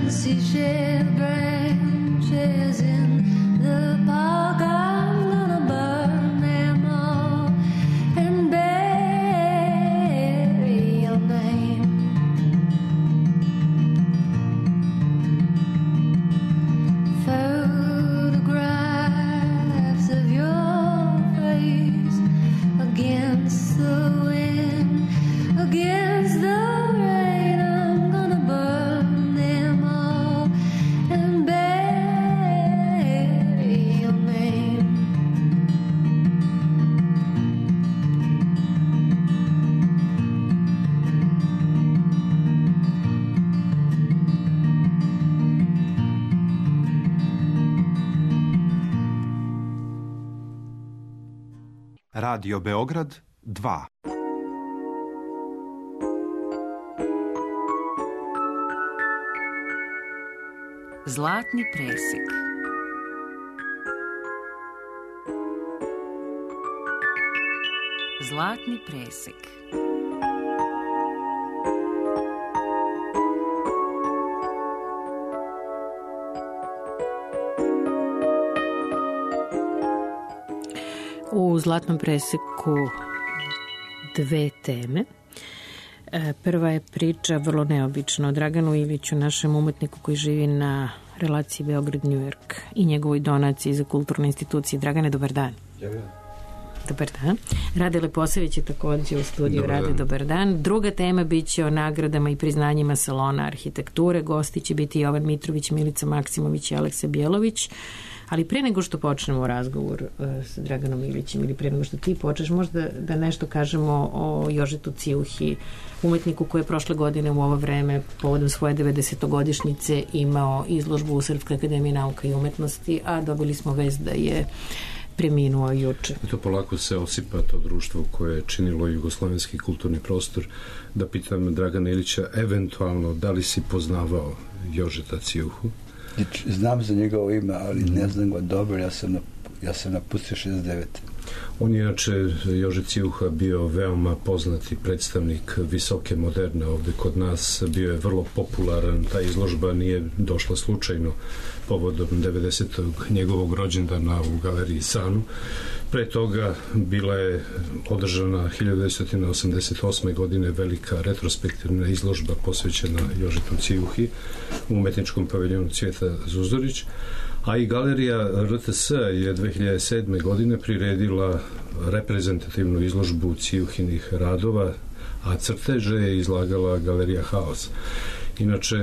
seashell branches in the park. I'm gonna burn them all and bury your name. Photographs of your face against the wind, against the rain. I'm gonna burn them all and bury your name. Radio Beograd dva. Zlatni presek. Zlatni presek. U Zlatnom preseku dve teme. Prva je priča vrlo neobična o Draganu Iliću, našem umetniku koji živi na relaciji Beograd-New York i njegovoj donaciji za kulturne institucije. Dragane, dobar dan. Dobar dan. Rade Leposević je takođe u studiju. Dobar Rade, dan. Dobar dan. Druga tema biće o nagradama i priznanjima Salona arhitekture. Gosti će biti Jovan Mitrović, Milica Maksimović i Aleksa Bjelović. Ali pre nego što počnemo razgovor uh, sa Draganom Ilićem ili pre nego što ti počneš, možda da nešto kažemo o Jožetu Ciuhi, umetniku koji je prošle godine u ovo vreme povodom svoje devedesetogodišnjice imao izložbu u Srpskoj akademiji nauka i umetnosti, a dobili smo vest da je preminuo juče. To polako se osipa to društvo koje je činilo jugoslovenski kulturni prostor. Da pitam Dragana Ilića, eventualno, da li si poznavao Jožeta Ciuhu? Znam za njegovo ime, ali ne znam ga dobro, ja sam, na, ja sam napustio šezdeset devete. On je inače, Jože Ciuha, bio veoma poznati predstavnik visoke moderne ovde kod nas, bio je vrlo popularan, ta izložba nije došla slučajno povodom devedesetog njegovog rođendana u galeriji Sanu. Pre toga bila je održana hiljadu devetsto osamdeset osme. godine velika retrospektivna izložba posvećena Jožetu Ciuhi u umetničkom paviljonu Cvijeta Zuzorić, a i galerija R T S je dve hiljade sedme. godine priredila reprezentativnu izložbu Ciuhinih radova, a crteže je izlagala galerija Haos. Inače,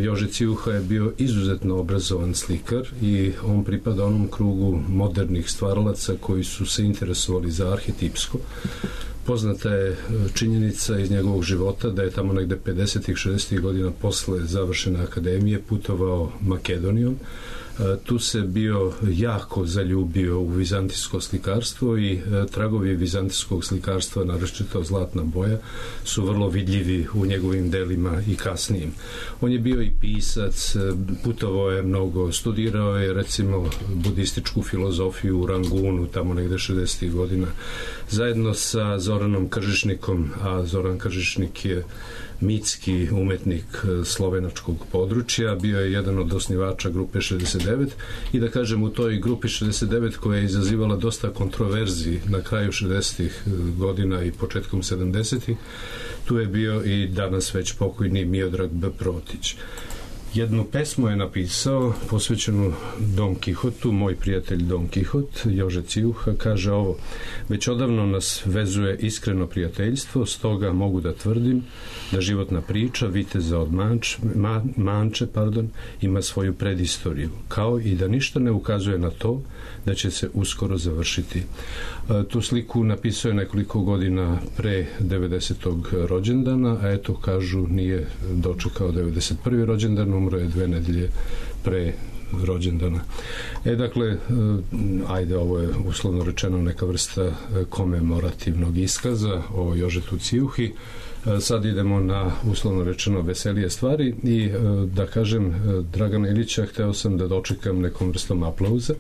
Jože Ciuha je bio izuzetno obrazovan slikar i on pripada onom krugu modernih stvaralaca koji su se interesovali za arhetipsko. Poznata je činjenica iz njegovog života da je tamo negde pedesetih šezdesetih godina posle završene akademije putovao Makedonijom. Tu se bio jako zaljubio u vizantijsko slikarstvo i tragovi vizantijskog slikarstva, naročito zlatna boja, su vrlo vidljivi u njegovim delima i kasnijim. On je bio i pisac, putovao je mnogo, studirao je recimo budističku filozofiju u Rangunu, tamo negde šezdesetih godina, zajedno sa Zoranom Kržišnikom, a Zoran Kržišnik je mitski umetnik slovenačkog područja, bio je jedan od osnivača grupe šezdeset devet i da kažem u toj grupi šezdeset devet koja je izazivala dosta kontroverzi na kraju šezdesetih godina i početkom sedamdesetih, tu je bio i danas već pokojni Miodrag B. Protić. Jednu pesmu je napisao posvećenu Don Kihotu, moj prijatelj Don Kihot, Jože Ciuha, kaže ovo: već odavno nas vezuje iskreno prijateljstvo, stoga mogu da tvrdim da životna priča Viteza od Manč, Ma, Manče pardon, ima svoju predistoriju, kao i da ništa ne ukazuje na to da će se uskoro završiti. Tu sliku napisao je nekoliko godina pre devedesetog rođendana, a eto, kažu, nije dočekao devedeset prvi rođendan, umro je dve nedelje pre rođendana. E, dakle, ajde, ovo je uslovno rečeno neka vrsta komemorativnog iskaza o Jožetu Ciuhi. Sad idemo na, uslovno rečeno, veselije stvari i da kažem, Dragana Ilića hteo sam da dočekam nekom vrstom aplauza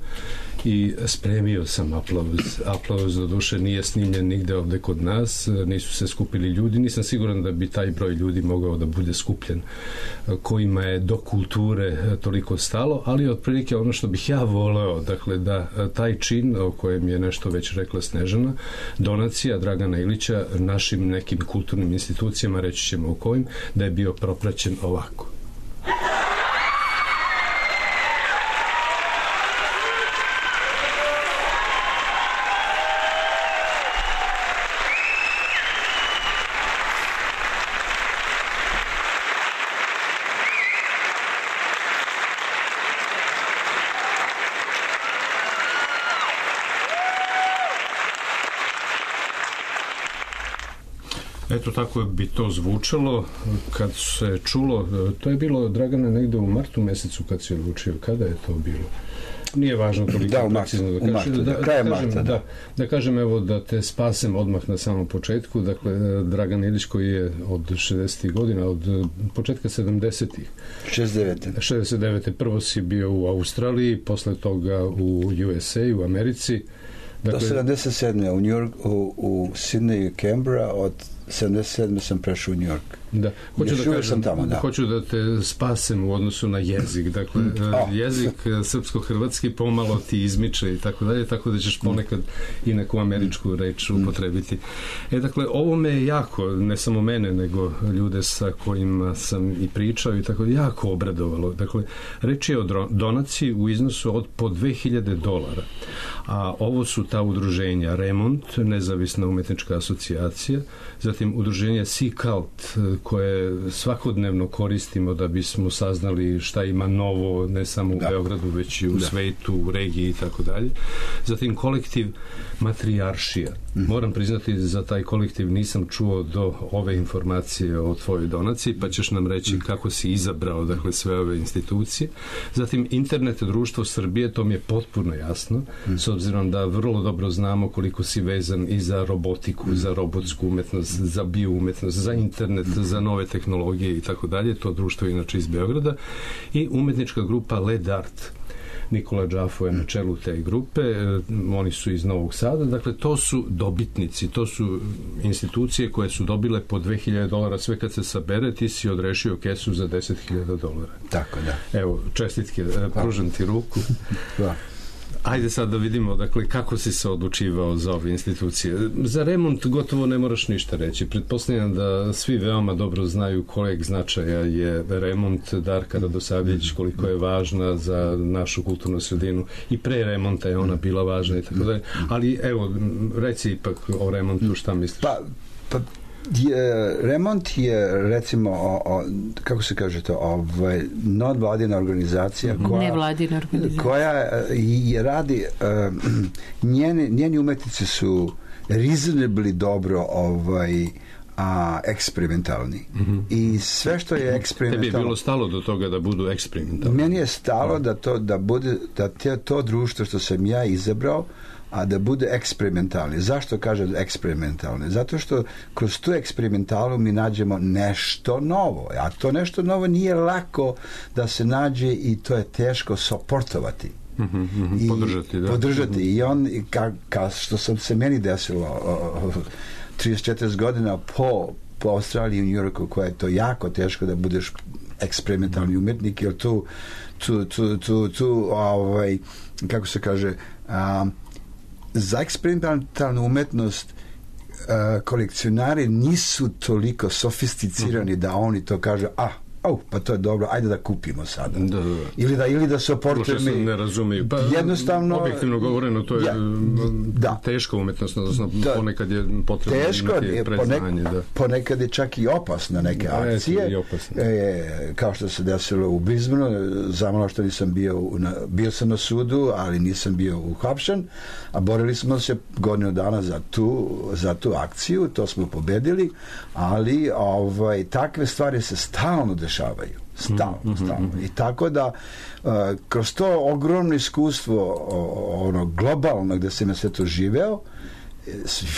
i spremio sam aplauz. Aplauz do duše nije snimljen nigde ovde kod nas, nisu se skupili ljudi, nisam siguran da bi taj broj ljudi mogao da bude skupljen kojima je do kulture toliko stalo, ali otprilike ono što bih ja voleo, dakle da taj čin o kojem je nešto već rekla Snežana, donacija Dragana Ilića našim nekim kulturnim institucijama, reći ćemo o kojim, da je bio propraćen ovako. Eto, tako bi to zvučalo kad se čulo, to je bilo, Dragana, negde u martu mesecu kad se odlučio, kada je to bilo? Nije važno toliko da, precizno da kažem. Martu, da, da, da, marta, da. Da, da kažem, evo, da te spasem odmah na samom početku. Dakle, Dragan Ilić koji je od šezdesetih godina, od početka sedamdesetih. šezdeset devete. šezdeset devete. Prvo si bio u Australiji, posle toga u U S A, u Americi. Dakle, do sedamdeset sedme. u New York, u, u Sydney i Canberra, od sedamdeset sedme sam prešao u New York. Da, hoću da kažem, sam tamo, da. Hoću da te spasem u odnosu na jezik. Dakle, mm. oh. jezik srpsko-hrvatski pomalo ti izmiče i tako dalje, tako da ćeš ponekad i neku američku reč upotrebiti. E, dakle, ovo me jako, ne samo mene, nego ljude sa kojima sam i pričao i tako, jako obradovalo. Dakle, reč je o donaciji u iznosu od po dve hiljade dolara. A ovo su ta udruženja Remont, nezavisna umetnička asocijacija, zatim udruženje Sea Cult, koje svakodnevno koristimo da bismo saznali šta ima novo, ne samo u da. Beogradu, već i u da. svetu, u regiji i tako dalje. Zatim kolektiv Matrijaršija. Mm. Moram priznati, za taj kolektiv nisam čuo do ove informacije o tvojoj donaciji, pa ćeš nam reći mm. kako si izabrao, dakle, sve ove institucije. Zatim Internet društvo Srbije, to mi je potpuno jasno, mm. s obzirom da vrlo dobro znamo koliko si vezan i za robotiku, mm. za robotsku umetnost, za bioumetnost, za internet, mm. za nove tehnologije i tako dalje. To društvo je inače iz Beograda. I umetnička grupa Led Art. Nikola Đafo je na čelu te grupe, oni su iz Novog Sada, dakle to su dobitnici, to su institucije koje su dobile po dve hiljade dolara, sve kad se sabere ti si odrešio kesu za deset hiljada dolara. Tako da. Evo, čestitke, pružam ti ruku. Da. Ajde sad da vidimo, dakle, kako si se odlučivao za ove institucije. Za Remont gotovo ne moraš ništa reći. Pretpostavljam da svi veoma dobro znaju kojeg značaja je Remont, Darka Radosavljević, koliko je važna za našu kulturnu sredinu. I pre Remonta je ona bila važna i tako dalje. Ali evo, reci ipak o Remontu, šta misliš? Pa, pa je, Remont je, recimo, o, o, kako se kaže to, ovaj, nevladina organizacija koja, nevladina organizacija koja je radi, uh, njeni, njeni umetnici su reasonably dobro ovaj, a eksperimentalni. Mm-hmm. I sve što je eksperimentalno... Tebi je bilo stalo do toga da budu eksperimentalni? Meni je stalo da to, da bude, da te, to društvo što sam ja izabrao, a da bude eksperimentalni. Zašto kažem eksperimentalni? Zato što kroz tu eksperimentalnu mi nađemo nešto novo. A to nešto novo nije lako da se nađe i to je teško soportovati. Mm-hmm, mm-hmm, I podržati, da. Podržati. Mm-hmm. I on, ka, ka što sam se meni desilo trideset četiri godina po, po Australiji i New Yorku, koja je to jako teško da budeš eksperimentalni umetnik, jer tu tu, tu, tu, tu ovaj, kako se kaže, um, za eksperimentalnu umetnost uh, kolekcionari nisu toliko sofisticirani mm-hmm. da oni to kažu, a oh, pa to je dobro, ajde da kupimo sada. Da, da. Ili da, ili da se oportuju mi... ne razumiju. Pa, jednostavno... Objektivno govoreno, to je ja, da. teška umetnost, odnosno da. ponekad je potrebno teško, imati preznanje. Da. Ponekad je čak i opasna neke da, akcije. E, kao što se desilo u Brisbaneu, zamalo što nisam bio, na, bio sam na sudu, ali nisam bio uhapšen, a borili smo se godinu dana za tu, za tu akciju, to smo pobedili, ali ovaj, takve stvari se stalno dešavaju. Stalno, mm-hmm. stalno. I tako da uh, kroz to ogromno iskustvo o, ono globalno gde sam ja sve to živeo,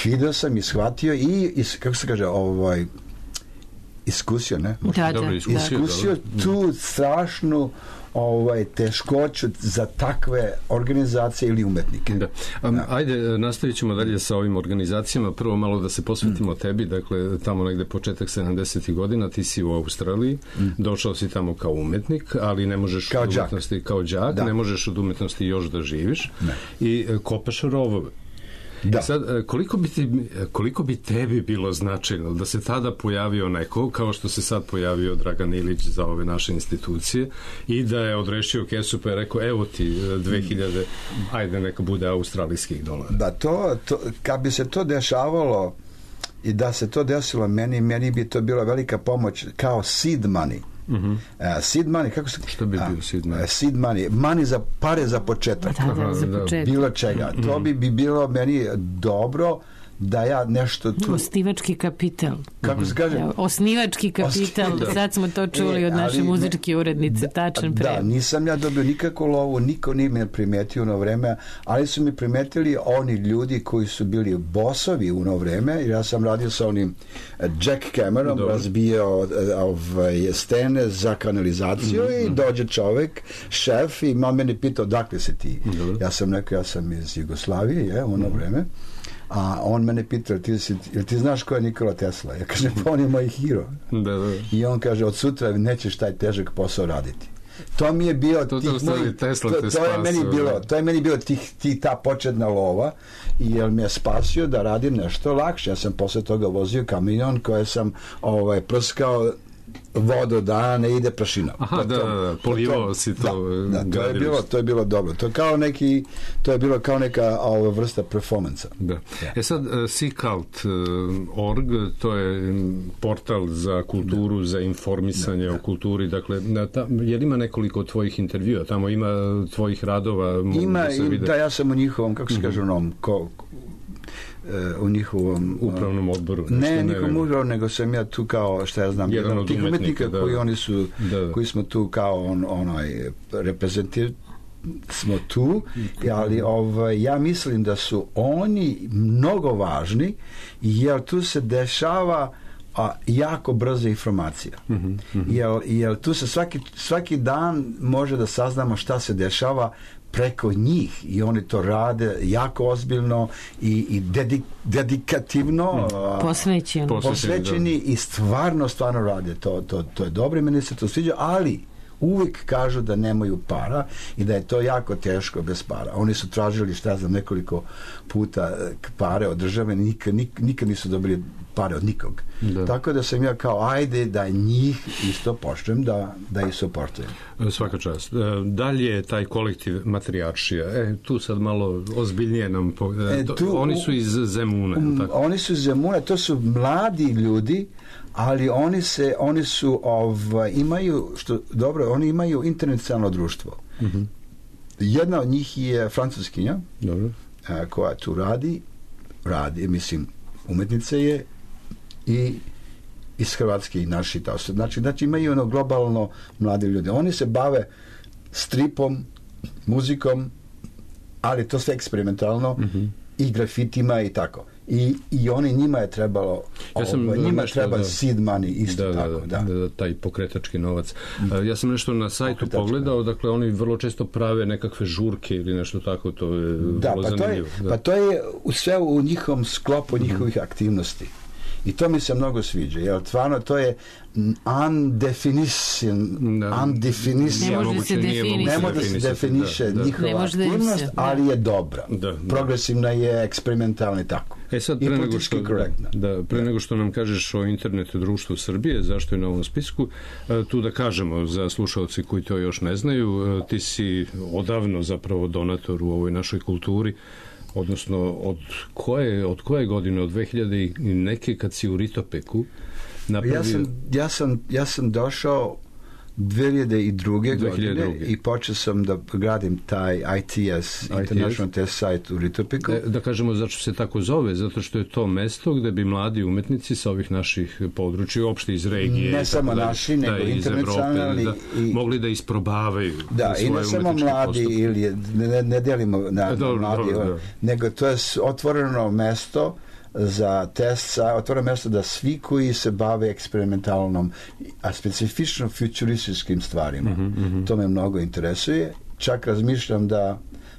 video sam i shvatio i, i kako se kaže, ovaj, iskusio, ne? Da, da, iskusio tu strašnu ovaj, teškoću za takve organizacije ili umetnike. Da. Um, da. Ajde, nastavit ćemo dalje sa ovim organizacijama. Prvo malo da se posvetimo mm. tebi, dakle, tamo negde početak sedamdesetih godina, ti si u Australiji, mm. došao si tamo kao umetnik, ali ne možeš kao od umetnosti, kao đak, ne možeš od umetnosti još da živiš ne. i kopaš rovove. Da. I sad, koliko bi, ti, koliko bi tebi bilo značajno da se tada pojavio neko, kao što se sad pojavio Dragan Ilić za ove naše institucije, i da je odrešio kesu pa je rekao, evo ti dve hiljade, ajde neka bude australijskih dolara. Da, to, to, kad bi se to dešavalo i da se to desilo meni, meni bi to bila velika pomoć kao seed money. Uh-huh. Uh, seed money, kako se... Što bi bio seed money? Uh, seed money, money za pare za početak. Da, da, za početak. Bilo čega. Uh-huh. To bi, bi bilo meni dobro da ja nešto tu... Osnivački kapital. Kako se kaže? Ja, osnivački kapital. Osnivački. Sad smo to čuli e, od naše muzičke urednice, tačan da, prevod. Da, nisam ja dobio nikakvu lovu, niko nije me primetio u ono vreme, ali su mi primetili oni ljudi koji su bili bosovi u ono vreme, jer ja sam radio sa onim Jack Cameron, razbijao ovaj, stene za kanalizaciju mm-hmm. i dođe čovek, šef, i on mene pitao, dakle se ti? Dobro. Ja sam rekao, ja sam iz Jugoslavije, je, u ono mm-hmm. vreme. A on mene pitao, ti, jel ti znaš ko je Nikola Tesla? Ja kažem, pa on je moj hero. Da, da. I on kaže, od sutra nećeš taj težak posao raditi. To mi je bio to, tih to, mojih, Tesla to, te to je meni bilo, to je meni bilo tih, tih ta početna lova, i jer me je spasio da radim nešto lakše. Ja sam posle toga vozio kamion koje sam ovaj, prskao vodu da ne ide prašina. Aha, to, da, da, da, polivao si to. Da, da, to je bilo, to je bilo dobro. To je kao neki, to je bilo kao neka ova vrsta performansa. Da. Ja. E sad, uh, Seacult dot org, to je portal za kulturu, da. za informisanje da. o kulturi, dakle, ta, jer ima nekoliko tvojih intervjua, tamo ima tvojih radova, ima, da se vide. Da, ja sam u njihovom, kako se kaže, mm-hmm. onom, ko, u njihovom upravnom odboru. Ne, njihovom upravnom, nego sam ja tu kao, šta ja znam, jedan, jedan od tih umetnika da, koji oni su, da, da. koji smo tu kao on, onaj reprezentir smo tu, ali ovaj, ja mislim da su oni mnogo važni, jer tu se dešava a, jako brza informacija. Mm-hmm, mm-hmm. Jer, jer tu se svaki, svaki dan može da saznamo šta se dešava preko njih, i oni to rade jako ozbiljno i, i dedik, dedikativno posvećeni, posvećeni i stvarno, stvarno rade to, to, to je dobro i meni se to sviđa, ali uvijek kažu da nemaju para i da je to jako teško bez para. Oni su tražili, šta znam, nekoliko puta pare od države, nikad, nikad nisu dobili pare od nikog. Da. Tako da sam ja kao, ajde da njih isto počnem da, da ih suportujem. Svaka čast. Dalje je taj kolektiv Matrijaršija. E, tu sad malo ozbiljnije nam... Po... E, tu, oni su iz Zemuna. Um, tako? Oni su iz Zemuna, to su mladi ljudi, ali oni se, oni su ovaj, imaju, što dobro, oni imaju internacionalno društvo. Mm-hmm. Jedna od njih je francuskinja, dobro. A, koja tu radi, radi, mislim, umetnica je, i iz Hrvatske i naši to. Znači, znači imaju ono globalno mladi ljudi. Oni se bave stripom, muzikom, ali to sve eksperimentalno, mm-hmm. i grafitima i tako. I, i oni, njima je trebalo ja sam ovo, njima nešto, treba da, seed money isto da, tako, da, da. Da, taj pokretački novac. Mm. Ja sam nešto na sajtu pokretački pogledao, dakle oni vrlo često prave nekakve žurke ili nešto tako, to je da, vrlo pa zanimljivo. To je, da. Pa to je sve u njihovom sklopu njihovih mm. aktivnosti. I to mi se mnogo sviđa, jer stvarno to je undefinition, undefinition, ne može se definisati, ne može se definiše da, da. njihova aktivnost, ali je dobra, da, da. progresivna je, eksperimentalna i tako. E sad, pre nego, što, da, pre nego što nam kažeš o internetu društvu Srbije, zašto je na ovom spisku, tu da kažemo za slušalci koji to još ne znaju, ti si odavno zapravo donator u ovoj našoj kulturi, odnosno od koje, od koje godine, od dve hiljade i neke, kad si u Ritopeku napravio... Ja sam, ja sam, ja sam došao dve hiljade druge godine i počeo sam da gradim taj I T S, I T S. International Test Site u Ritopeku. Da, da kažemo zašto se tako zove, zato što je to mesto gde bi mladi umetnici sa ovih naših područja, uopšte iz regije, ne samo da, naši, nego da, internacionalni, da, i, mogli da isprobavaju da, i ne samo mladi postup. Ili ne, ne delimo na, e, dobro, mladi, dobro, dobro. nego to je otvoreno mesto za test sa otvara mesto da svi koji se bave eksperimentalnom, a specifično futurističkim stvarima, Mhm, mhm. to me mnogo interesuje. Čak razmišljam da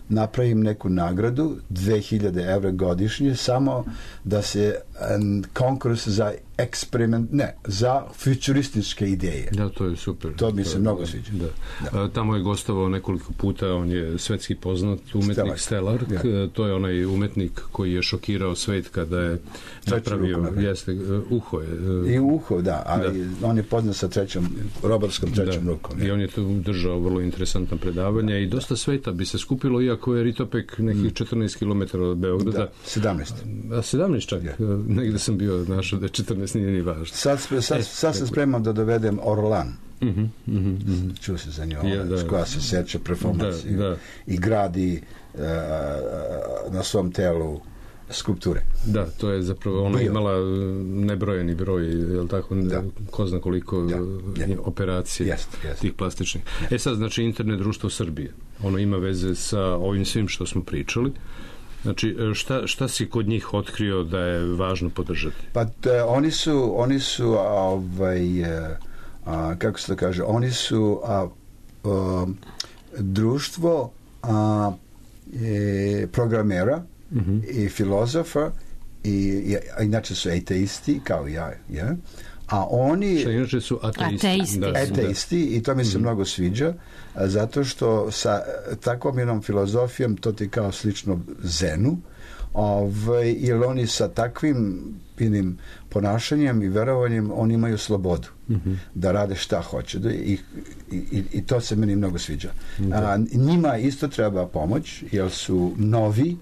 napravim neku nagradu, dve hiljade evra godišnje, samo da se um, konkurs za eksperiment, ne, za futurističke ideje. Da, to je super. To mi se je- mnogo da, sviđa. Da. A, tamo je gostovao nekoliko puta, on je svetski poznat umetnik Stellar. Stellar, Ja. to je onaj umetnik koji je šokirao svet kada je napravio, ruku napravio. jeste, uho je. e, I uho, da, ali on je poznat sa trećom, robotskom trećom Da. rukom. I on je tu držao vrlo interesantna predavanja i dosta sveta bi se skupilo, iako je Ritopek nekih četrnaest kilometara od Beograda. Da, sedamnaest. A sedamnaest čak, negde sam bio našao da je četrnaest, nije ni važno. Sad, spre- sad, E, sad se tako. spremam da dovedem Orlan. Mhm, mhm, mhm. Čuo se za nju, Ja, ona, da. koja se seća performansi Da, da. i gradi uh, na svom telu skulpture. Da, to je zapravo, ona je Bio. imala e, nebrojeni broj, je li tako, Da. ko zna koliko e, operacija Jest, jest. tih plastičnih. E sad, znači, internet društvo Srbije, ono ima veze sa ovim svim što smo pričali. Znači, e, šta, šta si kod njih otkrio da je važno podržati? Pa te, oni su, oni su ovaj, e, a, kako se to kaže, oni su a, a, društvo a, e, programera Mhm. i filozofa i, i a inače su ateisti kao ja, ja. A oni Šta inače su ateisti. Ateisti. Da, ateisti i to mi se mnogo sviđa a, zato što sa e, takvom jednom filozofijom to ti kao slično zenu, ovaj, jer oni sa takvim jednim ponašanjem i verovanjem oni imaju slobodu Mhm. da rade šta hoće da, i, i, i to se meni mnogo sviđa. Da. A, njima isto treba pomoć jer su novi,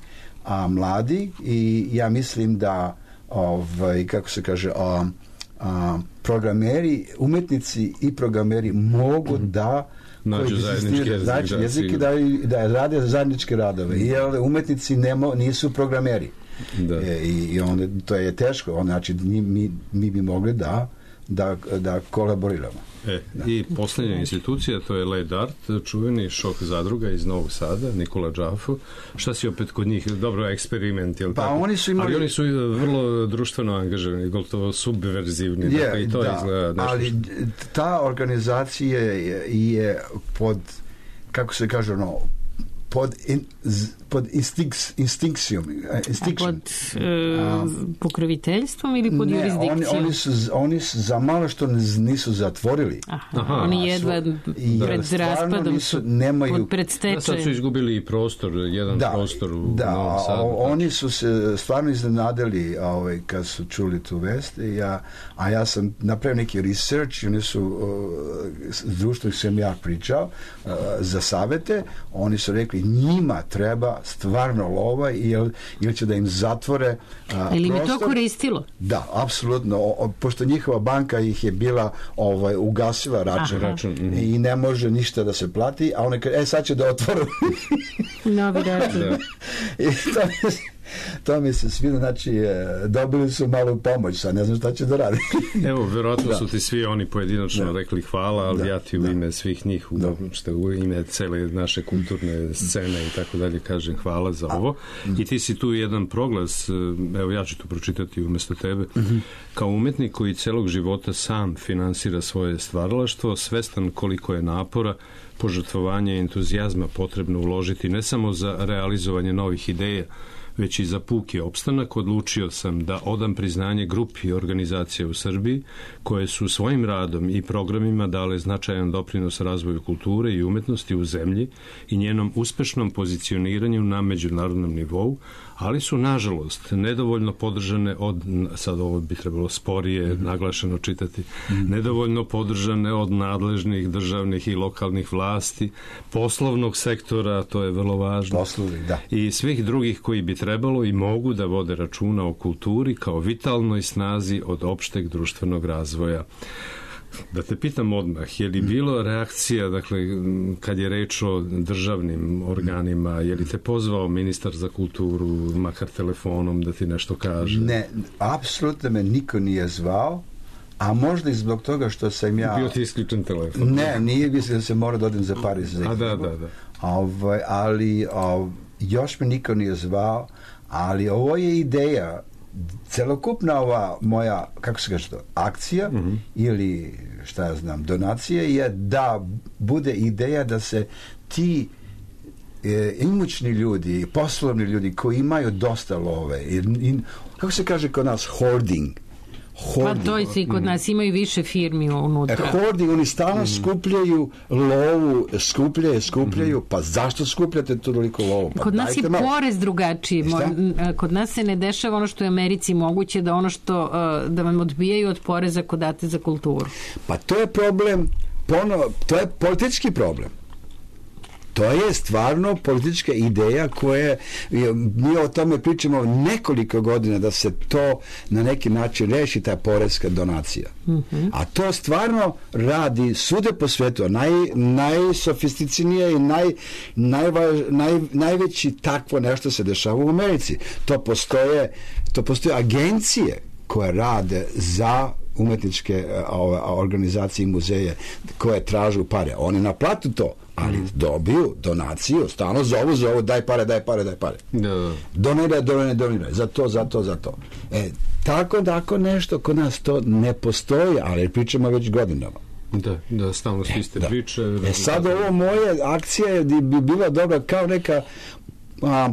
a mladi i ja mislim da ovaj, kako se kaže a, a, programeri, umetnici i programeri mogu da Nađu koji zajednički egzistiraju, jezik, znači, da, jezik i sigurno. da, da rade zajedničke radove jer umetnici nemo, nisu programeri. Da. E, i, i onda to je teško, on, znači mi, mi, mi bi mogli da da, da kolaboriramo. E, i posljednja institucija, to je Led Art, čuveni šok zadruga iz Novog Sada, Nikola Džafo. Šta si opet kod njih? Dobro, eksperiment, jel Pa tako? oni su imali- Ali oni su vrlo društveno angažirani, gotovo subverzivni. dakle, i to da, izgleda nešto ali što- ta organizacija je, je pod, kako se kaže, ono, pod, in, z, pod instinks, instinkcijom. Pod e, pokroviteljstvom ili pod ne, jurisdikcijom? Oni, oni, su, oni su za malo što nisu zatvorili. Aha, oni jedva I pred stvarno raspadom nisu- su nemaju- pod pred Da, sad su stečajem. izgubili i prostor, jedan Da, prostor u da, Novom Sadu. o- oni su se stvarno iznenadili ovaj, kad su čuli tu vest i ja, a ja sam napravio neki research i oni su uh, s društvom s kojim ja pričao uh, za savete, oni su rekli njima treba stvarno lova ili, ili će da im zatvore uh, Ili mi to prostor. koristilo? Da, apsolutno, o- o- pošto njihova banka ih je bila ovaj, ugasila račun, Aha. Račun, mhm. i ne može ništa da se plati, a one kaže, e sad će da otvoru. Novi račun. Da. I to mi, se- to mi se sviđa, znači e, dobili su malu pomoć, sad ne znam šta će da radi. Evo, verovatno Da. su ti svi oni pojedinačno Da. rekli hvala, ali Da, ja ti u da. ime svih njih, u, Da. što u ime cele naše kulturne scene i tako dalje kažem hvala za ovo. I ti si tu jedan proglas, e, evo ja ću to pročitati umesto tebe, Mhm. kao umetnik koji celog života sam finansira svoje stvaralaštvo, svestan koliko je napora, požrtvovanja i entuzijazma potrebno uložiti ne samo za realizovanje novih ideja, već i za puki opstanak, odlučio sam da odam priznanje grupi organizacija u Srbiji koje su svojim radom i programima dale značajan doprinos razvoju kulture i umetnosti u zemlji i njenom uspešnom pozicioniranju na međunarodnom nivou, ali su, nažalost, nedovoljno podržane od, sad ovo bi trebalo sporije naglašeno čitati, nedovoljno podržane od nadležnih državnih i lokalnih vlasti, poslovnog sektora, to je vrlo važno, Poslovi, da. i svih drugih koji bi trebalo i mogu da vode računa o kulturi kao vitalnoj snazi od opšteg društvenog razvoja. Da te pitam odmah, je li bilo reakcija, dakle, kad je reč o državnim organima, je li te pozvao ministar za kulturu, makar telefonom, da ti nešto kaže? Ne, apsolutno me niko nije zvao, a možda i zbog toga što sam ja... Bio ti isključen telefon? Ne, nije mislim da se mora da odem za Pariz. A da, da, da. Ovaj, ali o, još me niko nije zvao, ali ovo je ideja celokupna ova moja, kako se kaže to, akcija mm-hmm. ili šta ja znam, donacije je da bude ideja da se ti e, imućni ljudi, poslovni ljudi koji imaju dosta love i, i kako se kaže kod nas, hoarding. Hoarding. Pa to je i kod nas imaju više firmi unutra. E, hoarding, oni stalno mm. skupljaju lovu, skupljaju, skupljaju, mm. pa zašto skupljate to toliko lovu? Pa kod nas je malo. porez drugačiji. Kod nas se ne dešava ono što je u Americi moguće, da ono što, da vam odbijaju od poreza kod date za kulturu. Pa to je problem, ponovo, to je politički problem. To je stvarno politička ideja koje mi o tome pričamo nekoliko godina da se to na neki način reši, ta porezka donacija. Mm-hmm. A to stvarno radi svude po svetu, naj, najsofisticijenije i naj, najvaž, naj, najveći takvo nešto se dešava u Americi. To postoje, to postoje agencije koje rade za umetničke ove, organizacije i muzeje koje tražu pare. Oni naplatu to, ali dobiju donaciju, stalno zovu, zovu, daj pare, daj pare, daj pare. Da. Doniraj, doniraj, doniraj, za to, za to, za to. E, tako da ako nešto kod nas to ne postoji, ali pričamo već godinama. Da, da, stalno svi ste priče. E sad ovo moje akcija bi bila dobra kao neka a,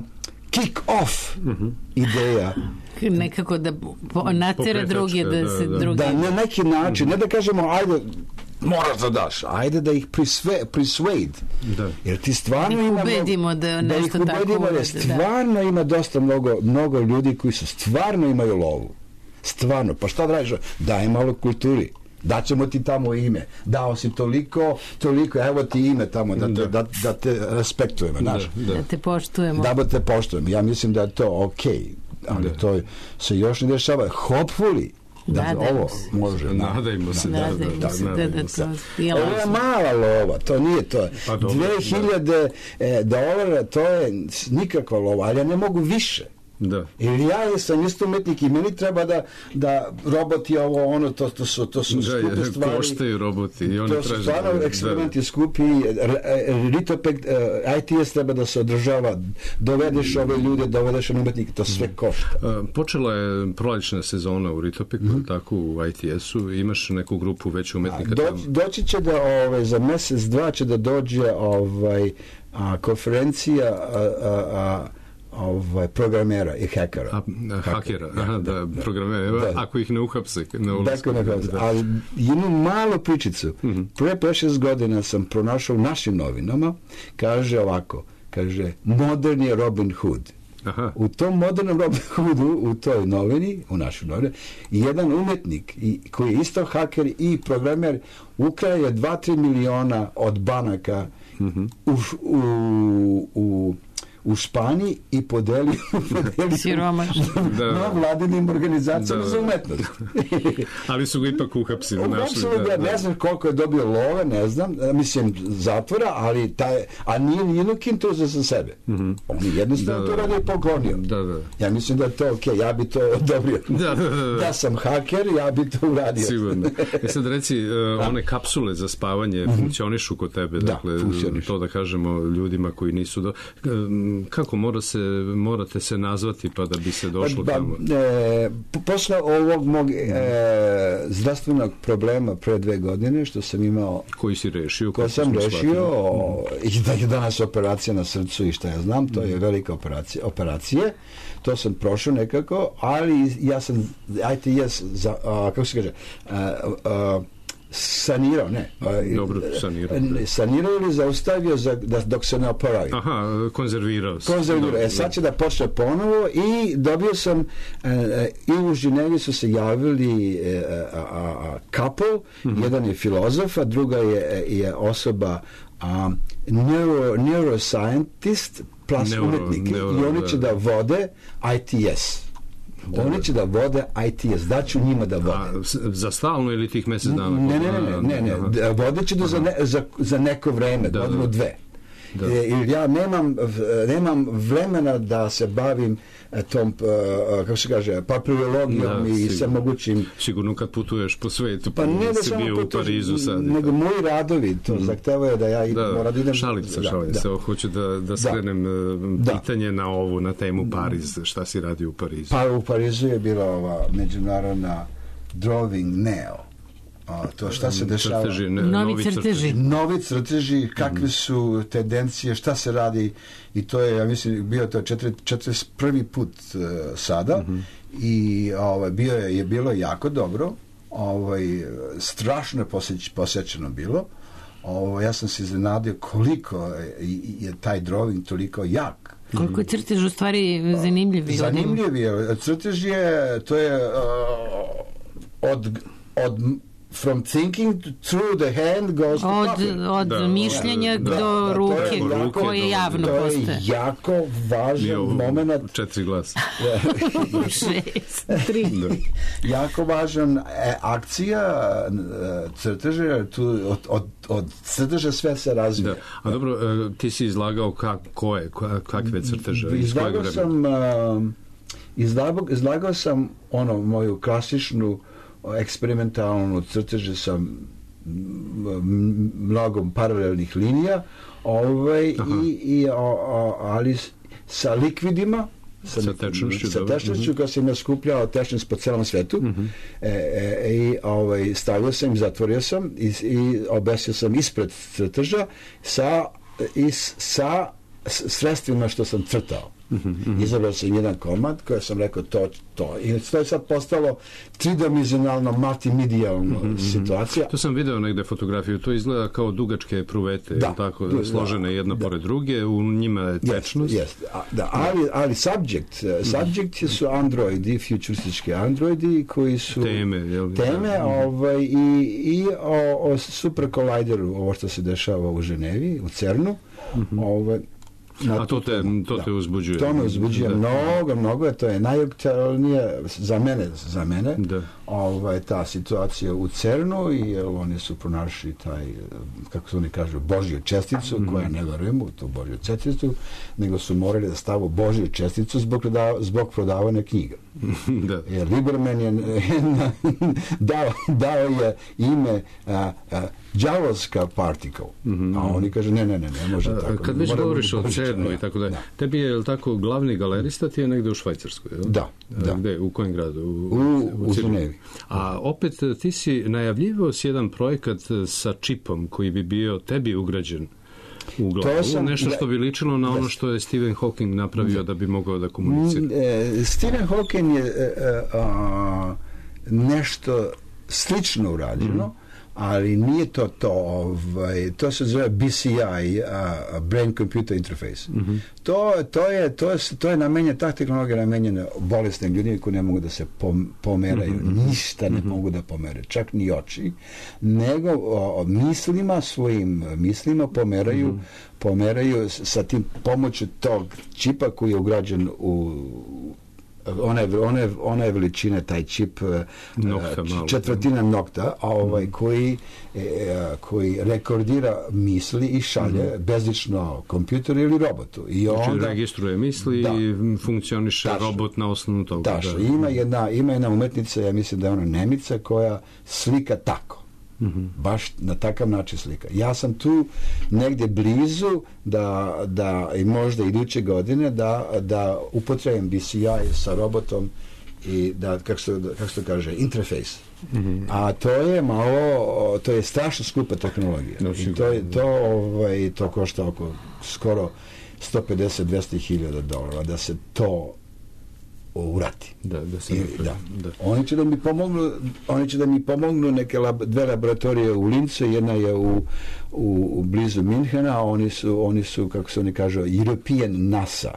kick-off mm-hmm. ideja. Nekako da natjera druge da, da se da, drugi... Da, na neki način, mm-hmm. ne da kažemo, ajde, moraš da daš, ajde da ih prisve, persuade. Da. Jer ti stvarno da ih ima... ubedimo da nešto da tako ubedimo, uvede. Stvarno da. Ima dosta mnogo, mnogo ljudi koji su stvarno imaju lovu. Stvarno. Pa šta da radiš? Daj malo kulturi. Daćemo ti tamo ime. Dao si toliko, toliko, evo ti ime tamo, da te, da. Da, da te respektujemo. Da, da. da te poštujemo. Da te poštujemo. Ja mislim da je to okej. Okay. Ali da. To se još ne dešava. Hopefully, da nadajmo ovo se. Može. Nadajmo se. Nadajmo da, da, se da, da, da to je ovo je mala lova, to nije to. Pa dobro, dve hiljade da. dolara, to je nikakva lova, ali ja ne mogu više. Da. Ili ja sam isto umetnik i meni treba da, da roboti ovo ono, to, to su, to su da, skupe stvari. Koštaju roboti i oni to su stvarno da, eksperimenti da. Skupi. Ritopek, I T S treba da se održava, dovedeš ove ljude, dovedeš umetnike, to sve košta. Počela je prolećna sezona u Ritopeku, mm-hmm. tako u I T S-u, imaš neku grupu već umetnika do, tamo? Doći će da ove, za mesec, dva će da dođe ovaj, a, konferencija a, a, a ovaj programera i hakera. A, a, hakera, aha, da, programera, da. Ako ih ne uhapse. Ne ulasku, ne da. Ali jednu malu pričicu. Mm-hmm. Pre pet šest godina sam pronašao u našim novinama, kaže ovako, kaže, moderni Robin Hood. Aha. U tom modernom Robin Hoodu, u toj novini, u našoj novini, jedan umetnik i, koji je isto haker i programer ukrao je dva do tri miliona od banaka mm-hmm. u, u, u u Španiji i podelio na vladinim organizacijama za umetnost. Ali su ga ipak uhapsili. Uhapsili ga, ne znam koliko je dobio love, ne znam, mislim zatvora, ali taj, a nije nijedno kinto za sebe. Mm-hmm. On je jednostavno to radio i poklonio. Da, da. Ja mislim da je to ok, ja bi to odobrio. Da, da, da, da. Ja sam haker, ja bi to uradio. Sigurno. E sad reci, uh, one kapsule za spavanje mm-hmm. funkcionišu kod tebe, da, dakle, to da kažemo ljudima koji nisu do... Kako mora se, morate se nazvati pa da bi se došlo ba, tamo? E, posle ovog mog e, zdravstvenog problema pre dve godine što sam imao... Koji si rešio? Koji sam rešio o, i da je danas operacija na srcu i šta ja znam, to je velika operacija, operacije. To sam prošao nekako, ali ja sam I T S, za, a, kako se kaže, a, a, sanirao, ne. Dobro, sanirao. Sanirao ili zaustavio za, da, dok se ne oporavio. Aha, konzervirao. Konzervirao. E, sad će da počne ponovo i dobio sam, e, i u Ženevi su se javili e, a, a, couple, mm-hmm. jedan je filozof, a druga je, je osoba a, neuro, neuroscientist plus neuro, umetnik. Neuro, I oni će da vode I T S. Oni će da vode I T S, daću njima da vode. A, za stalno ili tih mjesec dana? Ne, ne, ne, ne, ne, ne. Vodeći do za, ne, za, za neko vreme, da, godinu dve. Da. E, jer ja nemam, nemam vremena da se bavim tom, kako se kaže, papirologijom i sve mogućim... Sigurno kad putuješ po svetu, pa ne da si bio u Parizu sad. Nego moji radovi, to mm. zahtevaju da ja da, moram da idem... Šalim se, šalim se. Hoću da, da skrenem da. pitanje na ovu, na temu Pariz. Šta si radio u Parizu? Pa u Parizu je bila ova međunarodna Drawing Neo. A, to šta se dešava? Crteži, ne, novi, novi crteži. Novi crteži, kakve su tendencije, šta se radi, i to je, ja mislim, bio to četrdeset prvi put uh, sada mm-hmm. i ovaj, bio je, je bilo jako dobro, ovaj, strašno poseć, posećeno bilo. Ovaj, ja sam se iznenadio koliko je, je taj drawing toliko jak. Koliko je crtež u stvari zanimljiv? Zanimljiv je. Crtež je, to je uh, od, od from thinking through the hand goes to od, coffee. Od da, mišljenja da, do da, ruke, jako, koje javno postoje. To je jako važan moment. Četiri glasa. Šest, tri. Jako važan e, akcija crteža, tu od, od, od crteža sve se razvija. Da. A dobro, ti si izlagao kak, koje, kakve crteže? Izlagao sam uh, izlagao, izlagao sam ono, moju klasičnu eksperimentalnu crteže sa mnogom paralelnih linija, ovaj, i, i, o, o, ali sa likvidima, sa, sa tečnošću, sa tečnošću koja sam ja skupljao tečnost po celom svetu. Mm-hmm. e, e, i ovaj, stavio sam, zatvorio sam i, i obesio sam ispred crteža sa, i, sa sredstvima što sam crtao. Mm-hmm. Izabrao sam jedan komad koji sam rekao to, to. I to je sad postalo tridimenzionalno, multimedijalno mm-hmm. situacija. To sam video negde fotografiju, to izgleda kao dugačke pruvete, da, tako, da, složene jedna da. pored druge, u njima je tečnost. Yes, yes. A, da, ali, ali subject, subject su androidi, futuristički androidi koji su teme, jel? teme da. ovaj, i, i o, o super collideru, ovo što se dešava u Ženevi, u CERNu, mm-hmm. ovaj, a to te, to te uzbuđuje. To me uzbuđuje da. mnogo, mnogo, to je najaktualnije za mene, za mene da. ovaj, ta situacija u CERNu, i oni su pronašli taj, kako se oni kažu, Božju česticu, mm-hmm. koja ne verujem u tu Božju česticu, nego su morali da stavu Božju česticu zbog, zbog prodavanja knjiga. Da. Jer Lieberman je dao, dao je ime a, a, đavolska particle, mm-hmm. a oni kažu ne, ne, ne, ne može tako. Kad već govoriš o CERNu i tako dalje, tebi je, je tako, glavni galerista ti je negde u Švajcarskoj, jel? Da, da. Gde, u kojem gradu? U, u, u Ženevi. A opet ti si najavljivao si jedan projekat sa čipom koji bi bio tebi ugrađen u glavu, sam, nešto što bi ličilo na ono što je Stephen Hawking napravio da bi mogao da komunicira. E, Stephen Hawking je e, a, nešto slično urađeno, mm. ali nije to to, ovaj, to se zove B C I, uh, Brain Computer Interface. Mm-hmm. To, to, je, to, je, to je namenjena, ta tehnologija je namenjena bolesnim ljudima koji ne mogu da se pom, pomeraju, mm-hmm. ništa ne mm-hmm. mogu da pomere, čak ni oči, nego o, mislima, svojim mislima pomeraju, mm-hmm. pomeraju sa tim pomoću tog čipa koji je ugrađen u one, one, one veličine, taj čip nokta, četvrtina nokta, ovaj, mm. koji, e, koji rekordira misli i šalje mm. bezlično kompjuteru ili robotu. I znači onda, registruje misli da, i funkcioniše tačno, robot na osnovu toga. Tačno. Da. Ima, jedna, ima jedna umetnica, ja mislim da je ona Nemica, koja slika tako. Mm-hmm. Baš na takav način slika. Ja sam tu negdje blizu da, da i možda iduće godine da, da upotrebim B C I sa robotom i da, kako se, kako se kaže, interface. Mm-hmm. A to je malo, to je strašno skupa tehnologija. No, i to, je, to, ovaj, to košta oko skoro sto pedeset do dvesta hiljada dolara da se to urati. Da, da se I, da. Da. Oni će da mi pomognu, oni će da mi pomognu neke lab, dve laboratorije u Lincu, jedna je u, u, u blizu Minhena, a oni su, oni su, kako se oni kažu, European NASA.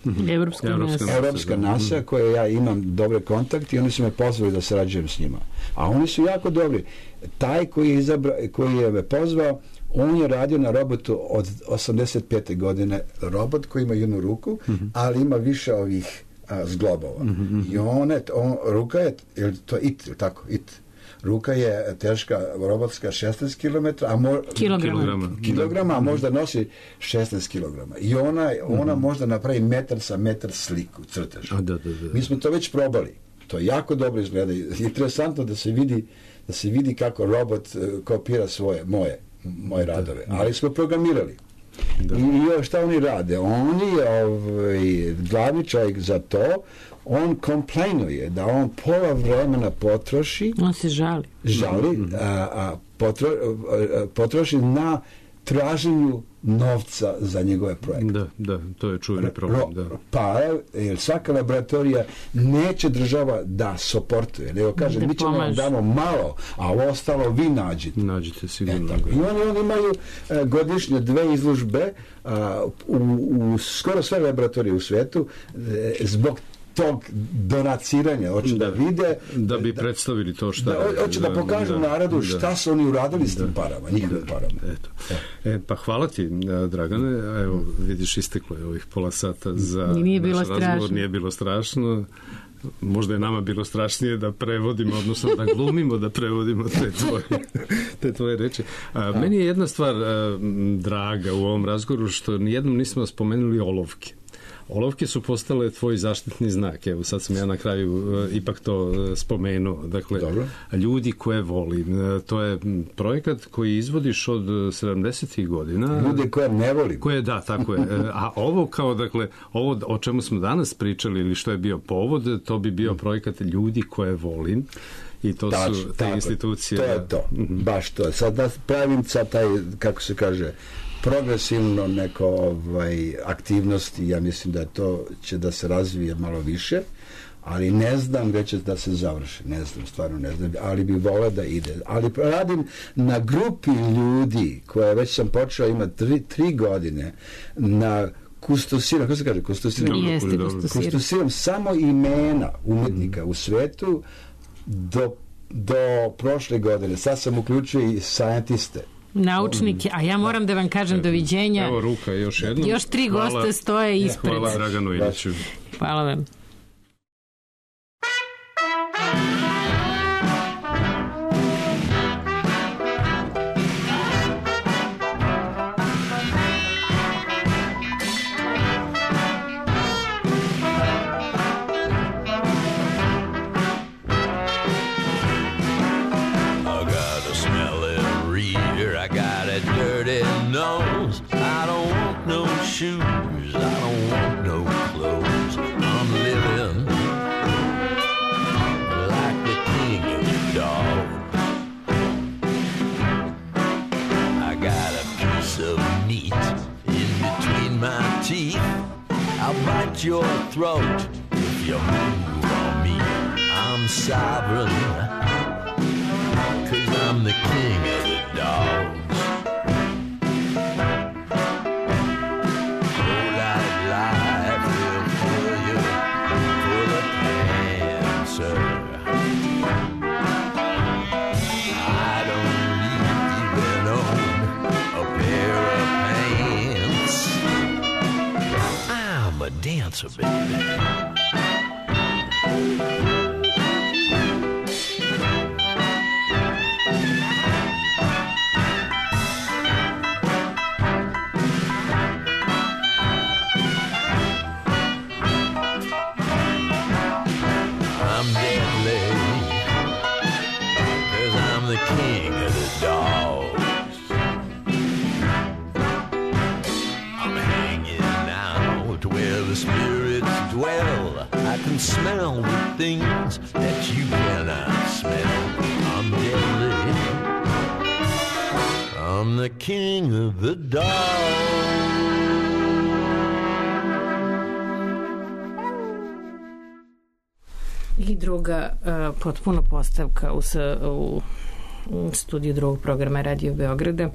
Mm-hmm. Evropska, Evropska NASA. Evropska NASA, mm-hmm. koje ja imam dobre kontakte i oni su me pozvali da sarađujem s njima. A oni su jako dobri. Taj koji je, izabra, koji je me pozvao, on je radio na robotu od osamdeset pete godine. Robot koji ima jednu ruku, mm-hmm. ali ima više ovih a, zglobova. Mm-hmm. I on, je, on, ruka je, je to it, tako, it. ruka je teška robotska šesnaest kilometara, a mo, kilograma. kilograma, a možda nosi šesnaest kilograma. I ona, ona mm-hmm. možda napravi metar sa metar sliku, crtež. A, da, da, da. Mi smo to već probali. To jako dobro izgleda. Interesantno da se vidi, da se vidi kako robot uh, kopira svoje, moje, moje radove. Da, da. Ali smo programirali. Da. I, i šta oni rade? Oni, ovaj, glavni čovjek za to, on komplainuje da on pola vremena potroši, on se žali žali a, a, potro, a, potroši na traženju novca za njegove projekte. Da, da, to je čuveni problem. Da. Pa, jer svaka laboratorija neće država da soportuje, nego kaže, da mi ćemo vam damo malo, a ovo ostalo vi nađite. Nađite sigurno. E, I oni, oni imaju a, godišnje dve izložbe a, u, u skoro sve laboratorije u svetu e, zbog tog donaciranja, hoće da, da vide da bi predstavili to šta da, hoće da, da pokažu da, narodu šta da, su oni uradili s tim parama, njihovim da, parama. Eto. E, pa hvala ti, Dragane, evo vidiš, isteklo je ovih pola sata za nije naš bilo razgovor, strašno. Nije bilo strašno. Možda je nama bilo strašnije da prevodimo, odnosno da glumimo da prevodimo te tvoje, te tvoje reči. A, meni je jedna stvar a, draga u ovom razgovoru, što nijednom nismo spomenuli olovke. Olovke su postale tvoj zaštitni znak. Evo, sad sam ja na kraju uh, ipak to uh, spomenuo. Dakle, dobro. Ljudi koje volim. Uh, to je projekat koji izvodiš od sedamdesetih godina. Ljude koje ne volim. Koje, da, tako je. Uh, a ovo kao, dakle, ovo o čemu smo danas pričali ili što je bio povod, to bi bio projekat Ljudi koje volim. I to Tač, su te tako, institucije. To je to. Mm-hmm. Baš to. Sad da pravim sad taj, kako se kaže, progresivno neko ovaj, aktivnosti, ja mislim da to će da se razvije malo više, ali ne znam gde će da se završi, ne znam, stvarno ne znam, ali bi voleo da ide. Ali radim na grupi ljudi, koja već sam počeo, ima tri, tri godine, na kustosiram, kako se kaže, kustosiram? Jeste, kustosiram. Kustosiram samo imena umetnika u svetu do, do prošle godine. Sad sam uključio i scientiste. Naučnike, a ja moram da vam kažem doviđenja. Evo ruka još jednom. Još tri hvala, goste stoje ispred. Hvala Draganu Iliću. Hvala vam. Shoes, I don't want no clothes. I'm living like the king of the dog. I got a piece of meat in between my teeth. I'll bite your throat if you move on me. I'm sovereign, 'cause I'm the king of the dogs. Dancer, baby. I'm deadly, 'cause I'm the king of the dogs. I'm hanging out where the spirits dwell. I can smell the things that you cannot smell. I'm deadly, I'm the king of the dogs. I druga uh, potpuno postavka u, u, u studiju drugog programa Radio Beograda.